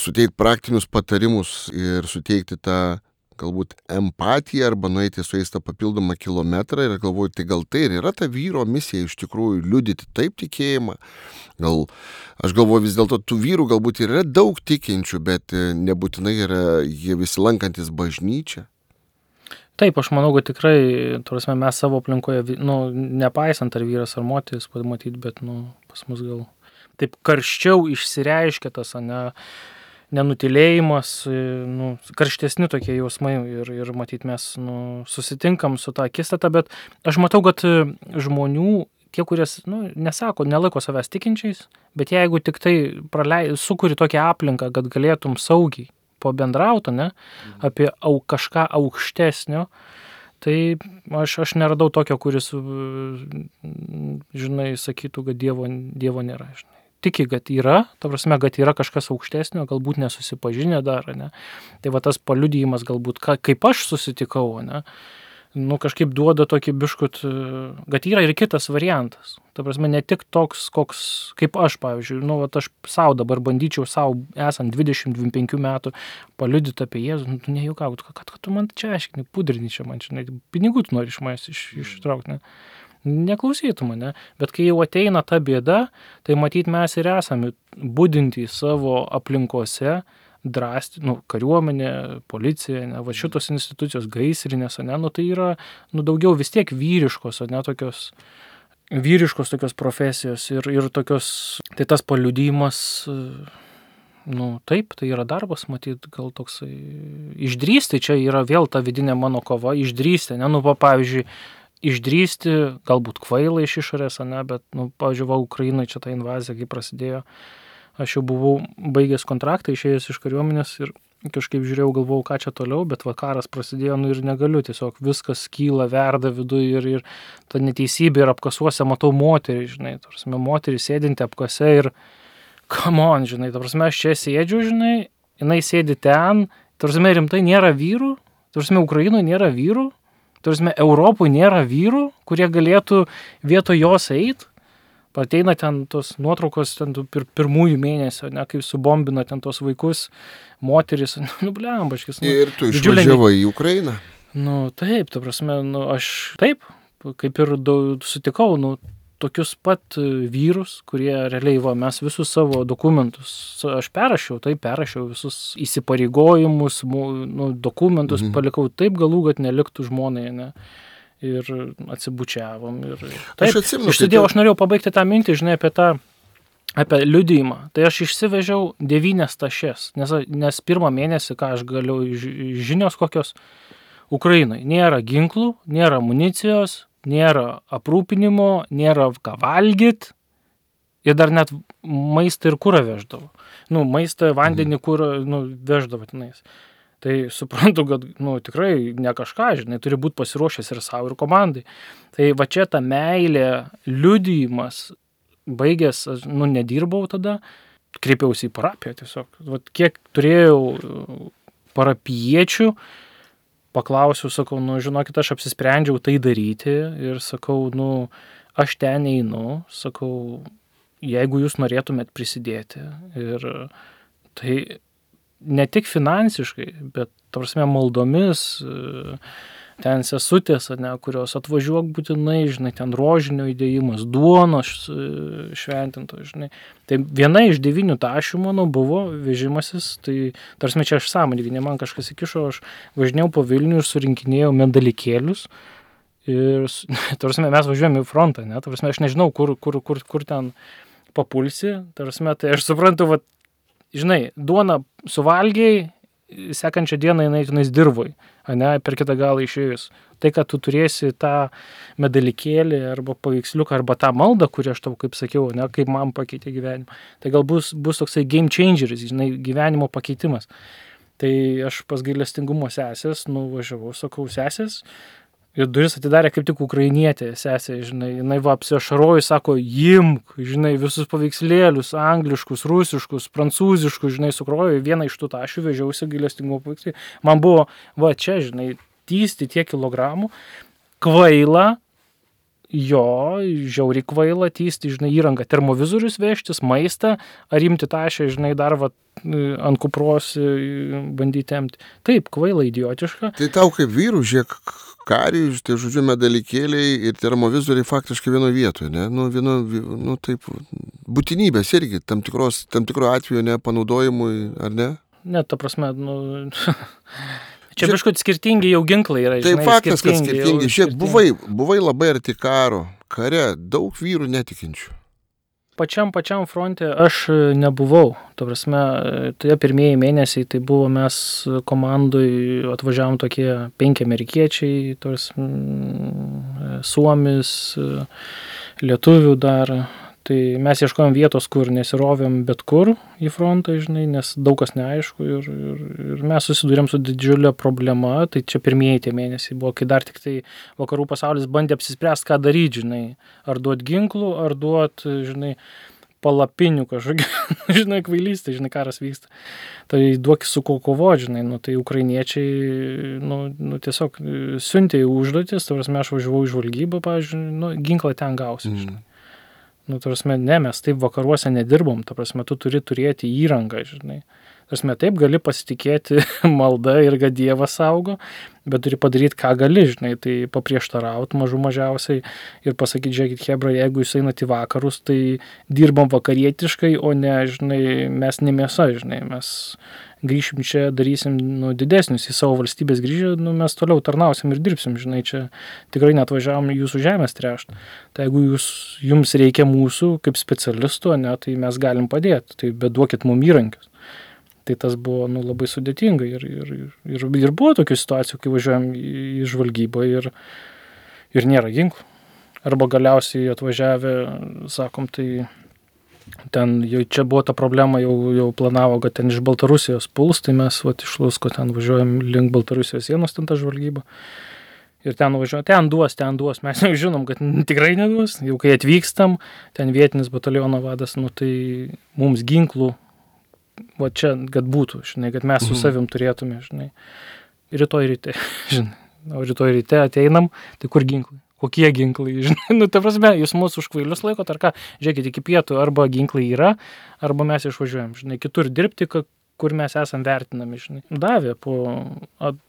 suteikti praktinius patarimus ir suteikti tą galbūt empatiją arba nueiti su jais tą papildomą kilometrą ir galvoju, tai gal tai ir yra ta vyro misija iš tikrųjų liudyti taip tikėjimą. Gal, aš galvoju vis dėlto tų vyrų galbūt yra daug tikinčių, bet nebūtinai yra jie visi lankantis bažnyčią. Taip, aš manau, kad tikrai, turėsime, mes savo aplinkoje, nu, nepaisant ar vyras ar moteris, pamatyti, bet, nu, pas mus gal taip karščiau išsireiškia tas, ne, nenutilėjimas, nu, karštesni tokie jausmai ir, ir matyt, mes nu, susitinkam su tą akistatą, bet aš matau, kad žmonių, tie, kurie, nu, nesako, nelaiko savęs tikinčiais, bet jeigu tik tai pralei, sukuri tokią aplinką, kad galėtum saugiai pabendrauti, ne, apie au, kažką aukštesnio, tai aš, aš neradau tokio, kuris, žinai, sakytų, kad Dievo, dievo nėra, žinai. Tiki, kad yra, ta prasme, kad yra kažkas aukštesnio, galbūt nesusipažinę dar, ne. Tai va tas paliudijimas galbūt, ka, kaip aš susitikau, ne, nu kažkaip duoda tokį biškut, kad yra ir kitas variantas. Ta prasme, ne tik toks, koks, kaip aš, pavyzdžiui, nu, va aš savo dabar bandyčiau savo, esant dvidešimt dvidešimt penkių metų, paliudyti apie Jėzų, nu, tu nejuokaut, kad, kad tu man čia aiškini, pudrini čia man, žinai, pinigų tu nori iš manęs iš, ištraukti, ne. Neklausytų mane, bet kai jau ateina ta bėda, tai matyt mes ir esame budinti savo aplinkose, drąsti, nu, kariuomenė, policija, ne, va šitos institucijos gaisrinės, ne, nu tai yra, nu, daugiau vis tiek vyriškos, ne, tokios, vyriškos tokios profesijos ir, ir tokios, tai tas paliudijimas, nu, taip, tai yra darbas, matyt, gal toksai, išdrįsti, čia yra vėl ta vidinė mano kova, išdrįsti, ne, nu, pavyzdžiui, išdrįsti, galbūt kvailai iš išorės, ne, bet, nu, pavyzdžiui, va, Ukrainai čia ta invazija, kai prasidėjo, aš jau buvau baigęs kontraktą, išėjęs iš kariuomenės ir kažkaip žiūrėjau, galvojau, ką čia toliau, bet va, karas prasidėjo, nu, ir negaliu, tiesiog viskas kyla, verda viduje ir, ir ta neteisybė ir apkasuose matau moterį, žinai, tarsi moterį sėdinti apkase ir, come on, žinai, tarsi aš čia sėdžiu, žinai, jinai sėdi ten, tarsi rimtai nėra vyrų, tarsi Ukrainoje nėra vyrų, tarsi Europoje nėra vyrų, kurie galėtų vietoj jos eit. Ateina ten tos nuotraukos ten pir, pirmųjų mėnesio, ne, kaip subombina ten tos vaikus, moteris, nu, blembaškis. Nu, ir tu išvažiavai į Ukrainą? Nu, taip, ta prasme, nu, aš taip, kaip ir daug, sutikau, nu, tokius pat vyrus, kurie realiai, va, mes visus savo dokumentus, aš perrašiau, taip, perrašiau visus įsipareigojimus, nu, dokumentus, mhm. palikau taip galų, kad neliktų žmonai, ne. Ir atsibučiavom. Ir, taip, aš atsimenu. Išsidėjau, aš norėjau pabaigti tą mintį, žinai, apie tą, apie liudijimą. Tai aš išsivežiau devynias tašes, nes, nes pirmą mėnesį, ką aš galiu, žinios kokios, Ukrainai nėra ginklų, nėra amunicijos, nėra aprūpinimo, nėra ką valgyt ir dar net maistą ir kurą veždavo. Nu, maistą, vandenį, kurą, nu, veždavo tenais. Tai suprantu, kad, nu, tikrai ne kažką, žinai, turi būti pasiruošęs ir savo, ir komandai. Tai va čia ta meilė, liudijimas, baigęs, nu, nedirbau tada, kreipiausi į parapiją tiesiog. Vat kiek turėjau parapiečių, paklausiau, sakau, nu, žinokit, aš apsisprendžiau tai daryti ir sakau, nu, aš ten einu, sakau, jeigu jūs norėtumėt prisidėti. Ir tai ne tik finansiškai, bet, tarsi, maldomis, ten sesutės, ne, kurios atvažiuok būtinai, žinai, ten rožinio įdėjimas, duonos šventinto, žinai. Tai viena iš devynių tašių mano buvo vežimasis, tai, tarsi, čia aš sąmoningai, ne man kažkas įkišo, aš važinėjau po Vilnių ir surinkinėjau medalikėlius. Ir, tarsi, mes važiuojame į frontą, ne, tarsi, aš nežinau, kur, kur, kur, kur ten papulsi, tarsi, tai aš suprantu, va, žinai, duona suvalgiai, sekančią dieną jinai tenais dirvoj, ane, per kitą galą išėjus. Tai, kad tu turėsi tą medalikėlį arba paveiksliuką, arba tą maldą, kurį aš tau, kaip sakiau, ne, kaip man pakeitė gyvenimą. Tai gal bus, bus toksai game changeris, žinai, gyvenimo pakeitimas. Tai aš pas gailestingumo sesės nuvažiavau, sakau, sesės, ir duris atidarė kaip tik ukrainietė sesė, žinai, jinai va apsiašarojo, sako, imk, žinai, visus paveikslėlius, angliškus, rusiškus, prancūziškus, žinai, sukrojo, vieną iš tų tašių vežiausi gailestingumo paveikslį. Man buvo, va čia, žinai, tysti tiek kilogramų, kvaila, jo, žiauriai kvaila tysti, žinai, įrangą, termovizorius vežtis, maistą, ar imti tašę, žinai, dar va, ant kupros bandyti temti. Taip, kvaila, idiotiška. Tai tau kaip vyrų, žiūrėk, kariai, tai žodžiu, medalikėliai ir termovizoriai faktiškai vienoje vietoje, ne? Nu, vieno, nu, taip, būtinybės irgi, tam, tikros, tam tikro atveju nepanaudojimui, ar ne? Ne, ta prasme, nu... Čia biškut skirtingi jau ginklai yra, žinai. Tai faktas, kad skirtingi. Žiūrėk, buvai, buvai labai arti karo, kare, daug vyrų netikinčių. Pačiam, pačiam fronte aš nebuvau. Ta prasme, tai pirmieji mėnesiai, tai buvo mes komandui, atvažiavom tokie penki amerikiečiai, tos mm, suomis, lietuvių dar. Tai mes ieškojom vietos, kur nesirovėm bet kur į frontą, žinai, nes daug kas neaišku ir, ir, ir mes susidūrėm su didžiulė problema, tai čia pirmieji tie mėnesiai buvo, kai dar tik tai vakarų pasaulis bandė apsispręsti, ką daryti, žinai, ar duot ginklų, ar duot, žinai, palapinių kažkokį, žinai, kvailystė, žinai, karas vyksta. Tai duok su ko kovoti, žinai, nu, tai ukrainiečiai, nu, nu tiesiog siuntė į užduotis, ta prasme, aš važiavau į žvalgybą, pavyzdžiui, nu, ginklą ten gausi, žinai. Mm. Nu, ta prasme, ne, mes taip vakaruose nedirbom, ta prasme, tu turi turėti įrangą, žinai. Ta prasme, taip gali pasitikėti malda ir kad Dievas saugo, bet turi padaryti, ką gali, žinai, tai paprieštarauti mažų mažiausiai ir pasakyti, žiūrėkit, hebra, jeigu jūs einat į vakarus, tai dirbam vakarietiškai, o ne, žinai, mes ne mėsa, žinai, mes grįšim čia, darysim, nu, didesnius į savo valstybės grįžę, nu, mes toliau tarnausim ir dirbsim, žinai, čia tikrai netvažiavom jūsų žemės tręšt. Tai jeigu jūs, jums reikia mūsų kaip specialistų, ne, tai mes galim padėti, tai bet duokit mum įrankius. Tai tas buvo, nu, labai sudėtinga ir, ir, ir, ir buvo tokių situacijų, kai važiuojam į, į žvalgybą ir, ir nėra ginklų. Arba galiausiai atvažiavę, sakom, tai ten jau čia buvo ta problema, jau, jau planavo, kad ten iš Baltarusijos puls, tai mes vat, iš Lusko ten važiuojam link Baltarusijos sienos, ten ta žvalgyba. Ir ten važiuojam, ten duos, ten duos, mes jau žinom, kad tikrai neduos. Jau kai atvykstam, ten vietinis bataliono vadas, nu tai mums ginklų, va čia, kad būtų, žinai, kad mes su savim turėtume, žinai. Rytoj ryte, žinai. O rytoj ryte ateinam, tai kur ginklai? Kokie ginklai, žinai, nu, ta prasme, jūs mūsų už kvailius laikot, ar ką, žiūrėkit, iki pietų arba ginklai yra, arba mes išvažiuojam, žinai, kitur dirbti, kur mes esam vertinami, žinai. Davė, po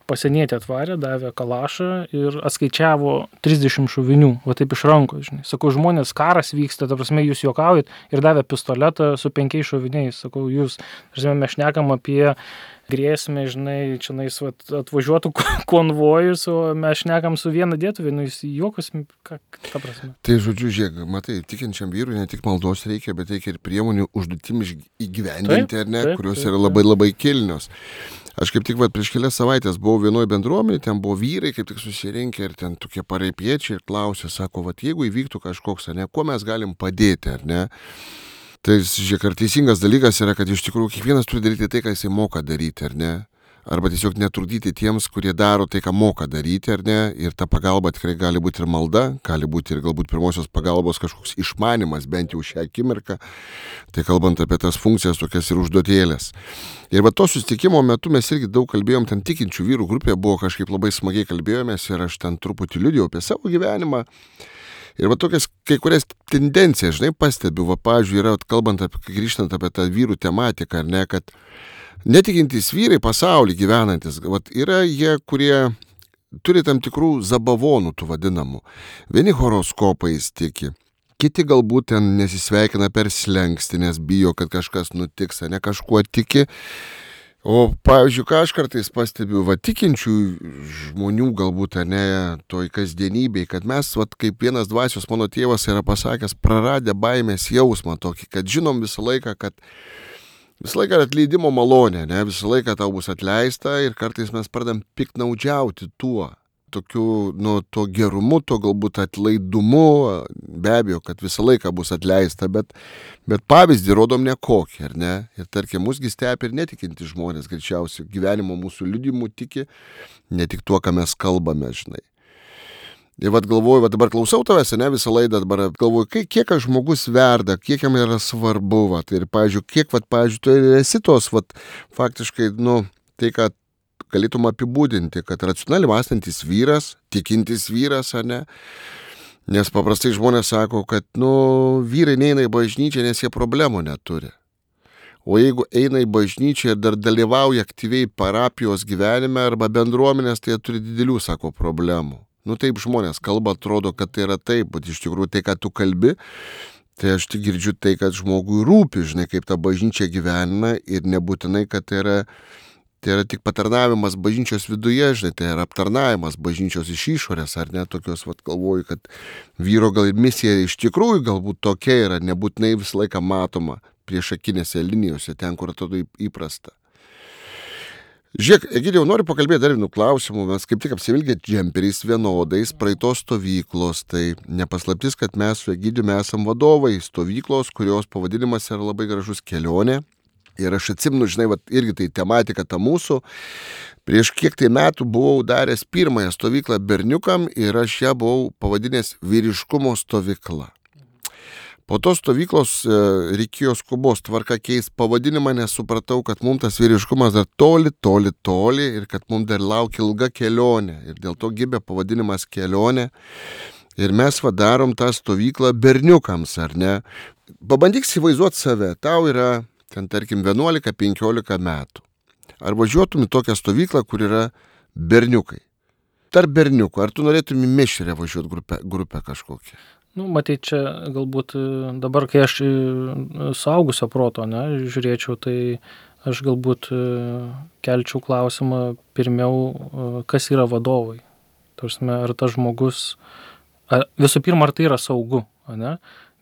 pasienietį atvarė, davė kalašą ir atskaičiavo trisdešimt šovinių, va taip iš rankos, žinai. Sakau, žmonės, karas vyksta, ta prasme, jūs juokaujat ir davė pistoletą su penkiais šoviniais, sakau, jūs, žinai, mes šnekam apie grėsmę, žinai, čia nais atvažiuotų konvojus, o mes šnekam su viena dėtuvė, nu jis juokus, ką, ta prasme. Tai žodžiu, žiūrėk, matai, tikinčiam vyrui ne tik maldos reikia, bet reikia ir priemonių užduotim įgyvendinti, ar ne, taip, kurios taip, yra labai labai kilnios. Aš kaip tik va, prieš kelias savaitės buvau vienoje bendruomenėje, ten buvo vyrai, kaip tik susirinkę ir ten tokie paraipiečiai ir klausė, sako, va, jeigu įvyktų kažkoks, ar ne, kuo mes galim padėti, ar ne? Tai, žiūrėk, ar teisingas dalykas yra, kad iš tikrųjų kiekvienas turi daryti tai, ką jisai moka daryti, ar ne? Arba tiesiog netrukdyti tiems, kurie daro tai, ką moka daryti, ar ne? Ir ta pagalba tikrai gali būti ir malda, gali būti ir galbūt pirmosios pagalbos kažkoks išmanimas, bent jau šią akimirką. Tai kalbant apie tas funkcijas, tokias ir užduotėlės. Ir va to susitikimo metu mes irgi daug kalbėjom, ten tikinčių vyrų grupėje buvo kažkaip labai smagiai kalbėjomės ir aš ten truputį liudijau apie savo gyvenimą. Ir va tokias kai kurias tendencijas, žinai, pastebiu, va, pavyzdžiui, yra, kalbant apie, grįžtant apie tą vyrų tematiką, ar ne, kad netikintys vyrai pasaulį gyvenantis, va, yra jie, kurie turi tam tikrų zabavonų, tų vadinamų. Vieni horoskopais tiki, kiti galbūt ten nesisveikina per slenkstį, nes bijo, kad kažkas nutiks, ne kažkuo tiki. O, pavyzdžiui, ką aš kartais pastebiu, va, tikinčių žmonių galbūt, ne, toj kasdienybėj, kad mes, va, kaip vienas dvasios mano tėvas yra pasakęs, praradę baimės jausmą tokį, kad žinom visą laiką, kad visą laiką atleidimo malonė, ne, visą laiką tau bus atleista ir kartais mes pradam piktnaudžiauti tuo, tokiu, nu, to gerumu, to galbūt atlaidumu, be abejo, kad visą laiką bus atleista, bet, bet pavyzdį rodom nekokį, ar ne? Ir tarkim, musgi stebi ir netikinti žmonės, greičiausiai gyvenimo mūsų liudijimu tiki, ne tik tuo, ką mes kalbame, žinai. Ir vat galvoju, vat dabar klausau tavęs, ne, visą laidą, dabar galvoju, kiek, kiek žmogus verda, kiek jam yra svarbu, vat, ir, pavyzdžiui, kiek, vat, pavyzdžiui, tu esi tos, vat, faktiškai, nu, tai, kad galėtum apibūdinti, kad racionaliai mąstantis vyras, tikintis vyras, ar ne, Nes paprastai žmonės sako, kad, nu, vyrai neina į bažnyčią, nes jie problemų neturi. O jeigu eina į bažnyčią ir dar dalyvauja aktyviai parapijos gyvenime arba bendruomenės, tai jie turi didelių, sako, problemų. Nu taip žmonės kalba, atrodo, kad tai yra taip, bet iš tikrųjų tai, ką tu kalbi, tai aš tik girdžiu tai, kad žmogui rūpi, žinai, kaip ta bažnyčia gyvena ir nebūtinai, kad tai yra, tai yra tik patarnavimas bažnyčios viduje, žinai, tai yra aptarnavimas bažnyčios iš išorės, ar ne, tokios, vat, galvoju, kad vyro gal misija iš tikrųjų galbūt tokia yra, nebūtinai visą laiką matoma priešakinėse linijose, ten, kur atrodo įprasta. Žiūrėk, Egidijau, noriu pakalbėti dar vienų klausimų, mes kaip tik apsivilgė džemperiais vienodais praeitos stovyklos, tai nepaslaptis, kad mes su Egidijumi esam vadovai stovyklos, kurios pavadinimas yra labai gražus Kelionė. Ir aš atsimenu, žinai, vat, irgi tai tematika ta mūsų. Prieš kiek tai metų buvau daręs pirmąją stovyklą berniukam ir aš ją buvau pavadinęs vyriškumo stovykla. Po tos stovyklos e, reikėjo skubos tvarka keist pavadinimą, nes supratau, kad mums tas vyriškumas dar toli, toli, toli ir kad mums dar laukia ilga kelionė. Ir dėl to gimė pavadinimas Kelionė. Ir mes vadarom tą stovyklą berniukams, ar ne? Pabandyk įsivaizduoti save, tau yra ten tarkim vienuolika penkiolika metų. Ar važiuotum į tokią stovyklą, kur yra berniukai? Tarp berniukų, ar tu norėtum į mišrę važiuoti grupę, grupę kažkokią? Nu, matai, čia galbūt dabar, kai aš suaugusio proto, ne, žiūrėčiau, tai aš galbūt kelčiau klausimą pirmiau, kas yra vadovai. Tarsi, ar tas žmogus, ar, visų pirma, ar tai yra saugu, ne?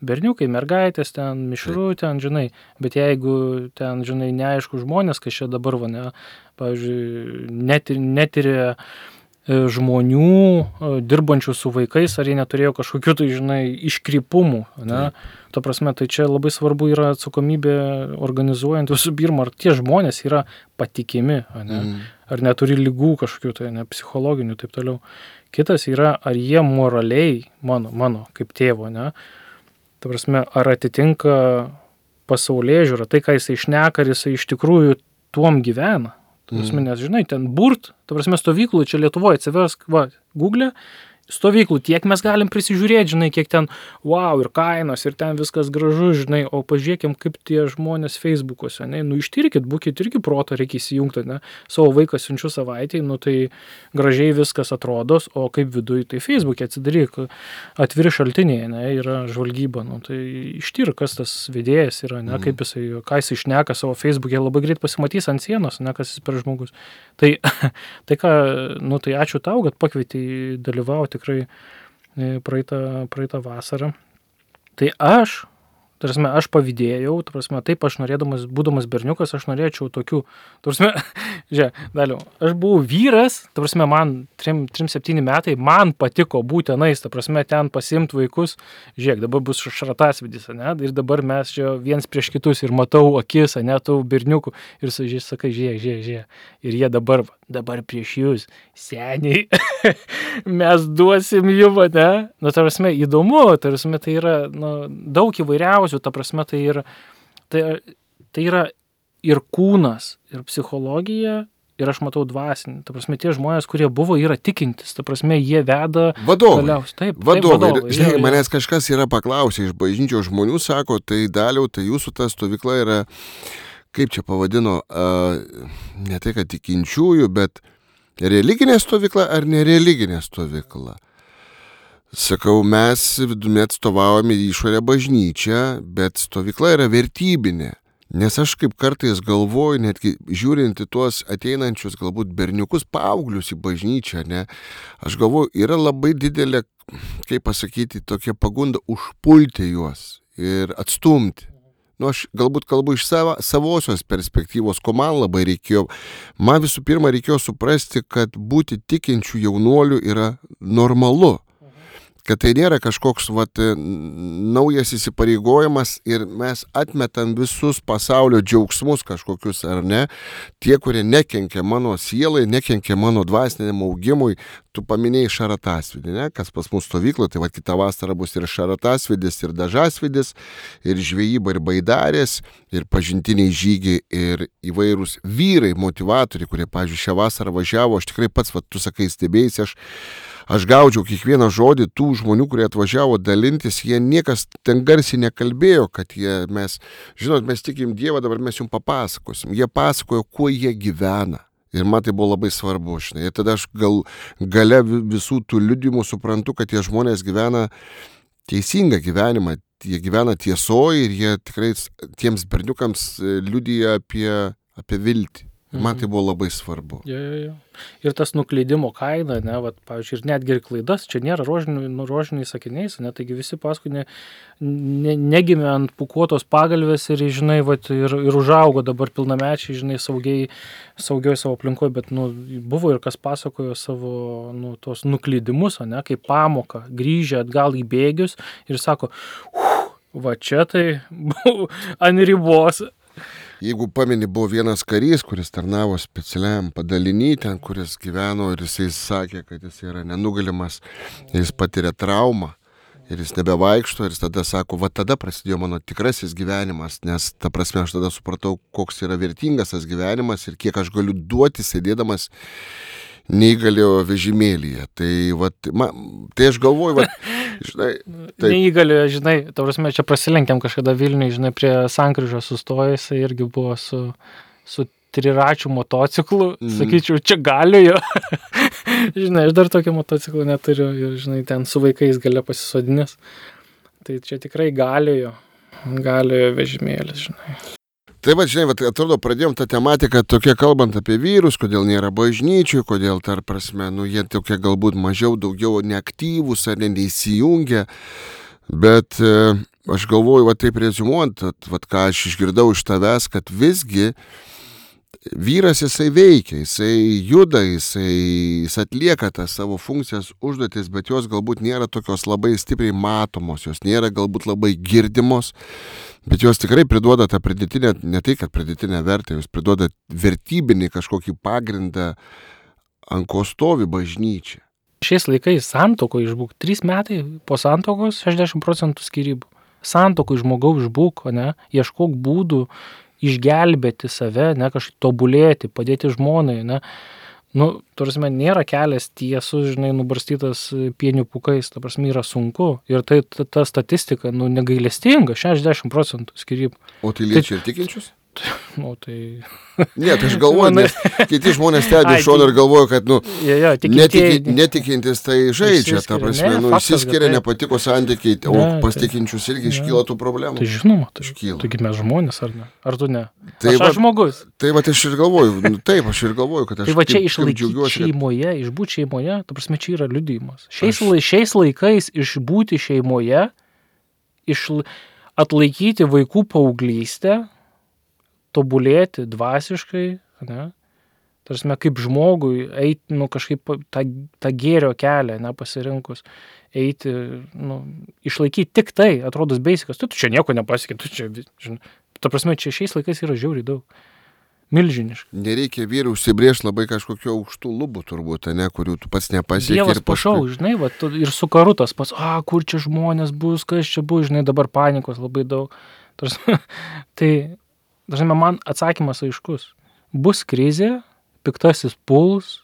Berniukai, mergaitės, ten mišrų, ten, žinai, bet jeigu ten, žinai, neaišku žmonės, kas čia dabar, va, ne, pavyzdžiui, netir, netiria žmonių, dirbančių su vaikais, ar jie neturėjo kažkokių, tai, žinai, iškrypumų, ne? Ta prasme, tai čia labai svarbu yra atsakomybė organizuojant visų pirma, ar tie žmonės yra patikimi, ne? Mm. Ar neturi ligų kažkokių, tai ne, psichologinių, taip toliau. Kitas yra, ar jie moraliai, mano, mano, kaip tėvo, ne? Ta prasme, ar atitinka pasaulėžiūrą, tai, ką jisai šneka, ar jisai iš tikrųjų tuom gyvena. Ta prasme, nes, žinai, ten burt, ta prasme, stovyklų, čia Lietuvoje atsiversk, va, Google, stovyklų, tiek mes galim prisižiūrėti, žinai, kiek ten, wow, ir kainos, ir ten viskas gražu, žinai, o pažiūrėkim, kaip tie žmonės Facebook'ose, ne, nu, ištirkit, būkit irgi proto, reikia įsijungti, ne, savo vaiką siunčiu savaitėj, nu, tai gražiai viskas atrodos, o kaip viduj, tai Facebook'e atsidaryk, atviri šaltiniai, ne, yra žvalgyba, nu, tai ištirk, kas tas vedėjas yra, ne, kaip jisai, ką jisai šneka savo Facebook'e, labai greit pasimatys ant sienos, ne, kas jis per žmogus. Tai, tai ką, nu, tai ačiū tau, kad pakvietei dalyvauti tikrai praeitą, praeitą vasarą. Tai aš, tarsi, aš pavydėjau, tarsi, taip aš norėdamas, būdamas berniukas, aš norėčiau tokių, tarsi, žiūrėk, daliau, aš buvau vyras, tarsi, man trim septyni metai, man patiko būti tenais, tarsi, ten pasiimti vaikus, žiūrėk, dabar bus šratasvidis, ne, ir dabar mes čia viens prieš kitus ir matau akis, ne, tų berniukų, ir sakai, žiūrėk, žiūrėk, žiūrėk, ir jie dabar, dabar prieš jūs, seniai, mes duosim jum, ne, nu, tarsi, įdomu, tarsi, tai yra, nu, daug įvairiausių, ta prasme, tai yra, tai, tai yra ir kūnas, ir psichologija, ir aš matau dvasinį. Ta prasme, tie žmonės, kurie buvo, yra tikintis. Ta prasme, jie veda... Vadovai. Galiausiai. Taip, vadovai. Taip, vadovai. Žinai, jau, jau. manęs kažkas yra paklausę iš bažnyčios žmonių, sako, tai Daliau, tai jūsų ta stovykla yra, kaip čia pavadino, uh, ne tai, kad tikinčiųjų, bet religinė stovykla ar nereliginė stovykla? Sakau, mes vidumi atstovaujame išorę bažnyčią, bet stovykla yra vertybinė. Nes aš kaip kartais galvoju, netgi žiūrint į tuos ateinančius galbūt berniukus, paauglius į bažnyčią, ne, aš galvoju, yra labai didelė, kaip pasakyti, tokia pagunda užpulti juos ir atstumti. Nu, aš galbūt kalbu iš savo, savosios perspektyvos, ko man labai reikėjo. Man visų pirma reikėjo suprasti, kad būti tikinčių jaunuolių yra normalu. Kad tai nėra kažkoks vat, naujas įsipareigojimas ir mes atmetam visus pasaulio džiaugsmus kažkokius, ar ne, tie, kurie nekenkia mano sielai, nekenkia mano dvasiniam augimui, tu paminėjai Šaratasvidį, ne, kas pas mūsų stovyklo, tai va kitą vasarą bus ir Šaratasvidis, ir Dažasvidis, ir žvejyba, ir baidarės, ir pažintiniai žygiai, ir įvairūs vyrai, motivatoriai, kurie, pavyzdžiui, šią vasarą važiavo, aš tikrai pats, va, tu sakai, stebėjai, aš Aš gaudžiau kiekvieną žodį tų žmonių, kurie atvažiavo dalintis, jie niekas ten garsiai nekalbėjo, kad jie, mes, žinot, mes tikim Dievą, dabar mes jums papasakosim. Jie pasakojo, kuo jie gyvena. Ir man tai buvo labai svarbu, žinai. Ir tada aš gal, gale visų tų liudimų suprantu, kad tie žmonės gyvena teisingą gyvenimą. Jie gyvena tiesoje ir jie tikrai tiems berniukams liudija apie, apie viltį. Man tai buvo labai svarbu. Jo, jo, jo. Ir tas nuklydimo kaina, ne, vat, pavyzdžiui, ir netgi ir klaidas, čia nėra rožiniai, nu, rožiniai sakiniais, ne, taigi visi paskui ne, ne, negimė ant pukuotos pagalvės ir, žinai, vat, ir, ir užaugo dabar pilnamečiai, žinai, saugiai, saugioj savo aplinkoje, bet, nu, buvo ir kas pasakojo savo, nu, tos nuklydimus, ne, kaip pamoką, grįžę atgal į bėgius ir sako, va čia tai buvo ant ribos. Jeigu pameni, buvo vienas karys, kuris tarnavo specialiam padaliny, ten, kuris gyveno ir jisai sakė, kad jis yra nenugalimas, jis patiria traumą ir jis nebevaikšto ir jis tada sako, va tada prasidėjo mano tikrasis gyvenimas, nes ta prasme aš tada supratau, koks yra vertingas tas gyvenimas ir kiek aš galiu duoti sėdėdamas neįgaliojo vežimėlyje. Tai, va, man, tai aš galvoju, va, žinai, taip. Neįgaliojo, žinai, ta prasme, čia prasilenkiam kažkada Vilniui, žinai, prie sankryžos sustojęs, irgi buvo su, su triračių motociklu, mm. sakyčiau, čia galiojo. Žinai, aš dar tokio motociklų neturiu ir, žinai, ten su vaikais gale pasisodinęs. Tai čia tikrai galiojo, galiojo vežimėlis, žinai. Tai va, žinai, va, atrodo, pradėjom tą tematiką tokia kalbant apie vyrus, kodėl nėra bažnyčių, kodėl, tar prasme, nu, jie tokie galbūt mažiau, daugiau neaktyvūs ar neįsijungia, bet e, aš galvoju, va, taip reziumuojant, va, ką aš išgirdau iš tavęs, kad visgi vyras jisai veikia, jisai juda, jisai, jis atlieka tas savo funkcijas, užduotis, bet jos galbūt nėra tokios labai stipriai matomos, jos nėra galbūt labai girdimos, bet jos tikrai priduoda tą pridėtinę, ne tai, kad pridėtinę vertę, jos priduoda vertybinį kažkokį pagrindą, ant ko stovi bažnyčia. Šiais laikais santoko išbūk, trys metai po santokos šešiasdešimt procentų skyrybų. Santoko žmogaus išbūk, ne, ieškok būdų išgelbėti save, ne, kažkaip tobulėti, padėti žmonai, ne. Nu, tarsi, nėra kelias tiesus, žinai, nubarstytas pienių pūkais, ta prasme, yra sunku. Ir tai ta, ta statistika, nu, negailestinga, šešiasdešimt procentų skyrybų. O tai liečia ir tikinčius? Nu, tai... Ne, tai aš galvoju, nes kiti žmonės stebi šoną ir galvoju, kad, nu, ja, ja, netiki, netikintis tai žaidžia, ta prasme, ne, nu, išsiskiria, nepatiko santykiai, o ne, pas tikinčius irgi ne, iškyla tų problemų. Tai žinoma, tai iškyla. Taigi mes žmonės, ar ne? Ar tu ne? Tai aš, va, aš žmogus. Tai va, aš ir galvoju, nu, taip, aš ir galvoju, kad aš... Tai va čia išlaikyti šeimoje, išbūti šeimoje, ta prasme, čia yra liudijimas. Šiais, aš... šiais laikais išbūti šeimoje, išla... atlaikyti vaikų paauglystę, tobulėti dvasiškai, ne? Tarsi, kaip žmogui eiti, nu, kažkaip tą, tą gėrio kelią, ne, pasirinkus, eiti, nu, išlaikyti tik tai, atrodo, beisikas, tu, tu čia nieko nepasiekė, tu čia, žinai, ta prasme, čia šiais laikais yra žiauriai daug, milžiniškai. Nereikia vyrų užsibrėžti labai kažkokio aukštų lubų turbūt, ne, kurių tu pats nepasiekė. Dievas pašau, paskui... žinai, va, tu, ir su karu tas pas, a, kur čia žmonės bus, kas čia bus, žinai, dabar panikos labai daug. Tarsi, tai... Dažnai man atsakymas aiškus. Bus krizė, piktasis puls,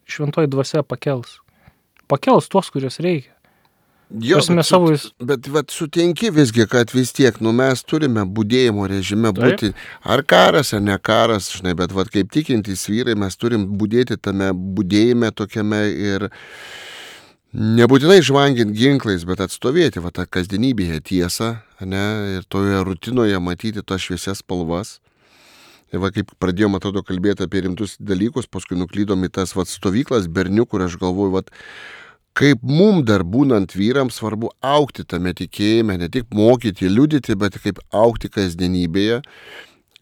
šventoji dvasia pakels. Pakels tuos, kurios reikia. Jo, bet, savo... bet, bet sutinki visgi, kad vis tiek, nu, mes turime budėjimo režime būti, ar karas, ar ne karas, žinai, bet vat, kaip tikintys vyrai, mes turim budėti tame budėjime tokiame ir nebūtinai žvangint ginklais, bet atstovėti va, tą kasdienybėje tiesą, ne, ir toje rutinoje matyti tas šviesias spalvas. Ir va, kaip pradėjom, atrodo, kalbėti apie rimtus dalykus, paskui nuklydom į tas va, stovyklas bernių, kur aš galvoju, va, kaip mum dar būnant vyrams svarbu augti tame tikėjime, ne tik mokyti, liudyti, bet kaip augti kasdienybėje.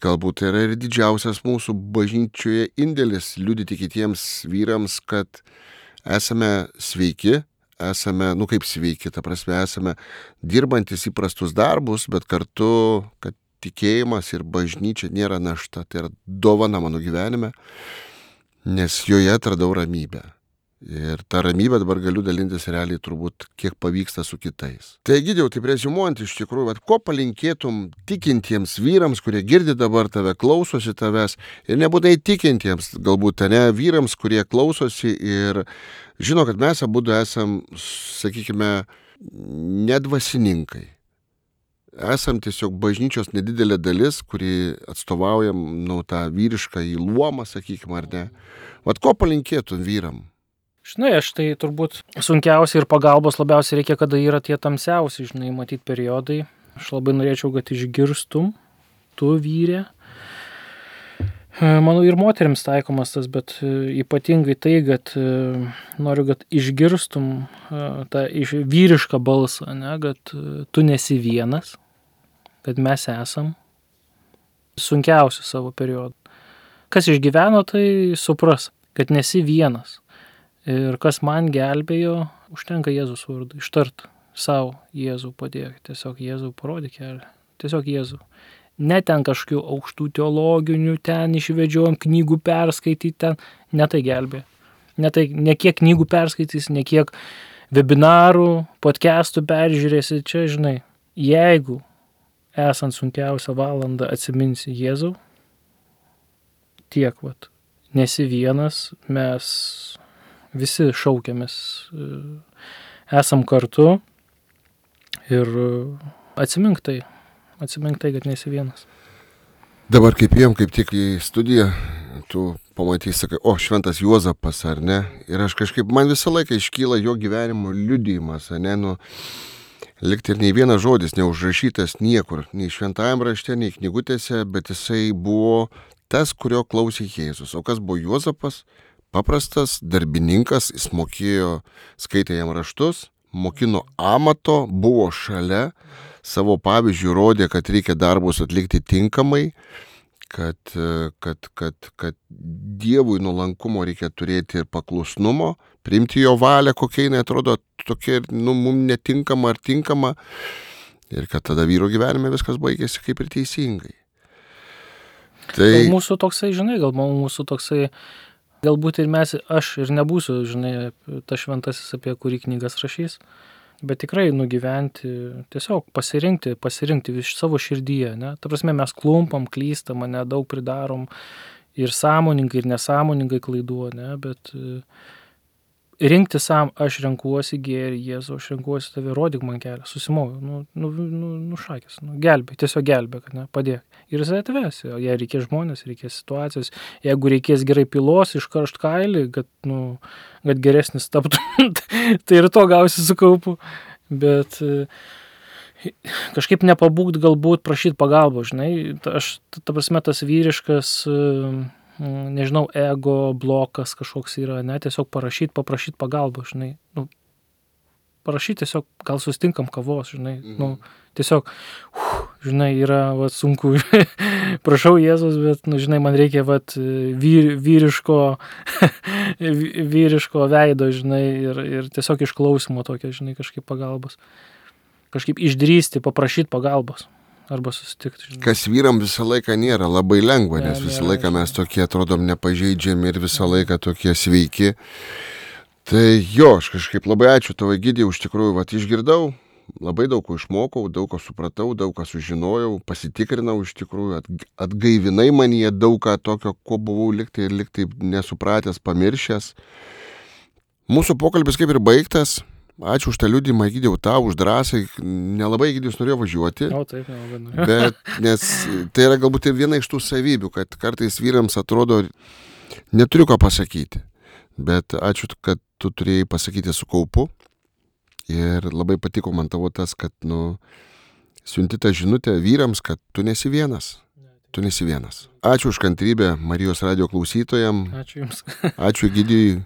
Galbūt tai yra ir didžiausias mūsų bažnyčioje indėlis liudyti kitiems vyrams, kad esame sveiki, esame, nu kaip sveiki, ta prasme, esame dirbantis įprastus darbus, bet kartu, kad tikėjimas ir bažnyčia nėra našta, tai yra dovana mano gyvenime, nes joje atradau ramybę. Ir tą ramybę dabar galiu dalintis realiai turbūt, kiek pavyksta su kitais. Tai Egidijau, taip reziumuojant iš tikrųjų, vat, ko palinkėtum tikintiems vyrams, kurie girdi dabar tave, klausosi tavęs, ir nebūtinai tikintiems, galbūt ne vyrams, kurie klausosi ir žino, kad mes abudu esam, sakykime, nedvasininkai. Esam tiesiog bažnyčios nedidelė dalis, kuri atstovaujam, nu, tą vyrišką į luomą, sakykime, ar ne. Vat ko palinkėtum vyram? Žinai, aš tai turbūt sunkiausiai ir pagalbos labiausiai reikia, kada yra tie tamsiausi, žinai, matyti periodai. Aš labai norėčiau, kad išgirstum, tu vyrė. Manau, ir moteriams taikomas tas, bet ypatingai tai, kad noriu, kad išgirstum tą vyrišką balsą, ne, kad tu nesi vienas, kad mes esam sunkiausi savo periodų. Kas išgyveno, tai supras, kad nesi vienas. Ir kas man gelbėjo, užtenka Jėzus vardu, ištart savo Jėzų padėk, tiesiog Jėzų parodyk kelią, tiesiog Jėzų. Ne ten kažkokių aukštų teologinių, ten išvedžiojom knygų perskaityti, ten, ne tai gelbė. Ne, tai, ne kiek knygų perskaitys, ne kiek webinarų, podcastų peržiūrėsi, čia žinai, jeigu esant sunkiausią valandą atsiminsi Jėzų, tiek vat, nesi vienas, mes visi šaukiamės, esam kartu ir atsimink tai, atsimink tai, kad nesi vienas. Dabar kaip jiem, kaip tik į studiją, tu pamatysi, sakai, o, šventas Juozapas, ar ne? Ir aš kažkaip, man visą laiką iškyla jo gyvenimo liudijimas, ar ne? Nu, likti ir nei vienas žodis neužrašytas niekur, nei šventajam rašte, nei knygutėse, bet jisai buvo tas, kurio klausė Jėzus. O kas buvo Juozapas? Paprastas darbininkas, jis mokėjo, skaitė jam raštus, mokino amato, buvo šalia, savo pavyzdžių rodė, kad reikia darbus atlikti tinkamai, kad, kad, kad, kad Dievui nuolankumo reikia turėti ir paklusnumo, priimti jo valią, kokia jinai atrodo tokia, nu, mums netinkama ar tinkama, ir kad tada vyro gyvenime viskas baigėsi kaip ir teisingai. Tai... Gal mūsų toksai, žinai, gal mūsų toksai, galbūt ir mes, aš ir nebūsiu, žinai, ta šventasis, apie kurį knygas rašys, bet tikrai nugyventi, tiesiog pasirinkti, pasirinkti iš savo širdyje, ne? Ta prasme, mes klumpam, klystam, ne, daug pridarom ir sąmoningai, ir nesąmoningai klaidų, ne, bet rinkti sam, aš renkuosi gėrį, Jėzau, aš renkuosi tave, rodyk man kelią, susimoviu, nu, nu, nu, nu šakės, nu, gelbėk, tiesiog gelbėk, ne, padėk. Ir jisai atvesi, jei reikės žmonės, reikės situacijos, jeigu reikės gerai pilos, iškaršt kailį, kad, nu, kad geresnis taptų, tai ir to gausi su kaupu, bet kažkaip nepabūgt galbūt prašyti pagalbos, žinai, aš, ta prasme, tas vyriškas, nežinau, ego blokas kažkoks yra, ne, tiesiog parašyti, paprašyti pagalbą, žinai, nu, parašyti tiesiog, gal sustinkam kavos, žinai, mhm. nu, tiesiog, uf, žinai, yra, vat, sunku, prašau Jėzus, bet, nu, žinai, man reikia, vat, vyr, vyriško, vyriško veido, žinai, ir, ir tiesiog išklausimo tokio, žinai, kažkaip pagalbos, kažkaip išdrįsti, paprašyti pagalbos. Arba susitikti. Žinai. Kas vyram visą laiką nėra labai lengva, nes visą laiką mes tokie atrodom nepažeidžiami ir visą laiką tokie sveiki. Tai jo, aš kažkaip labai ačiū tavo Egidijau, iš tikrųjų, vat išgirdau, labai daug ko išmokau, daug ko supratau, daug ką sužinojau, pasitikrinau iš tikrųjų, atgaivinai manyje daug ką tokio, ko buvau liktai ir liktai nesupratęs, pamiršęs. Mūsų pokalbis kaip ir baigtas. Ačiū už tą liudymą, Egidijau, tau, už drąsą. Nelabai Egidijus norėjo važiuoti. O, taip, nelabai norėjo. Bet, nes tai yra galbūt ir viena iš tų savybių, kad kartais vyrams atrodo, neturiu ką pasakyti. Bet ačiū, kad tu turėjai pasakyti su kaupu. Ir labai patiko man tavo tas, kad, nu, siunti tą žinutę vyrams, kad tu nesi vienas. Tu nesi vienas. Ačiū už kantrybę Marijos radijo klausytojam. Ačiū Jums. Ačiū Egidijui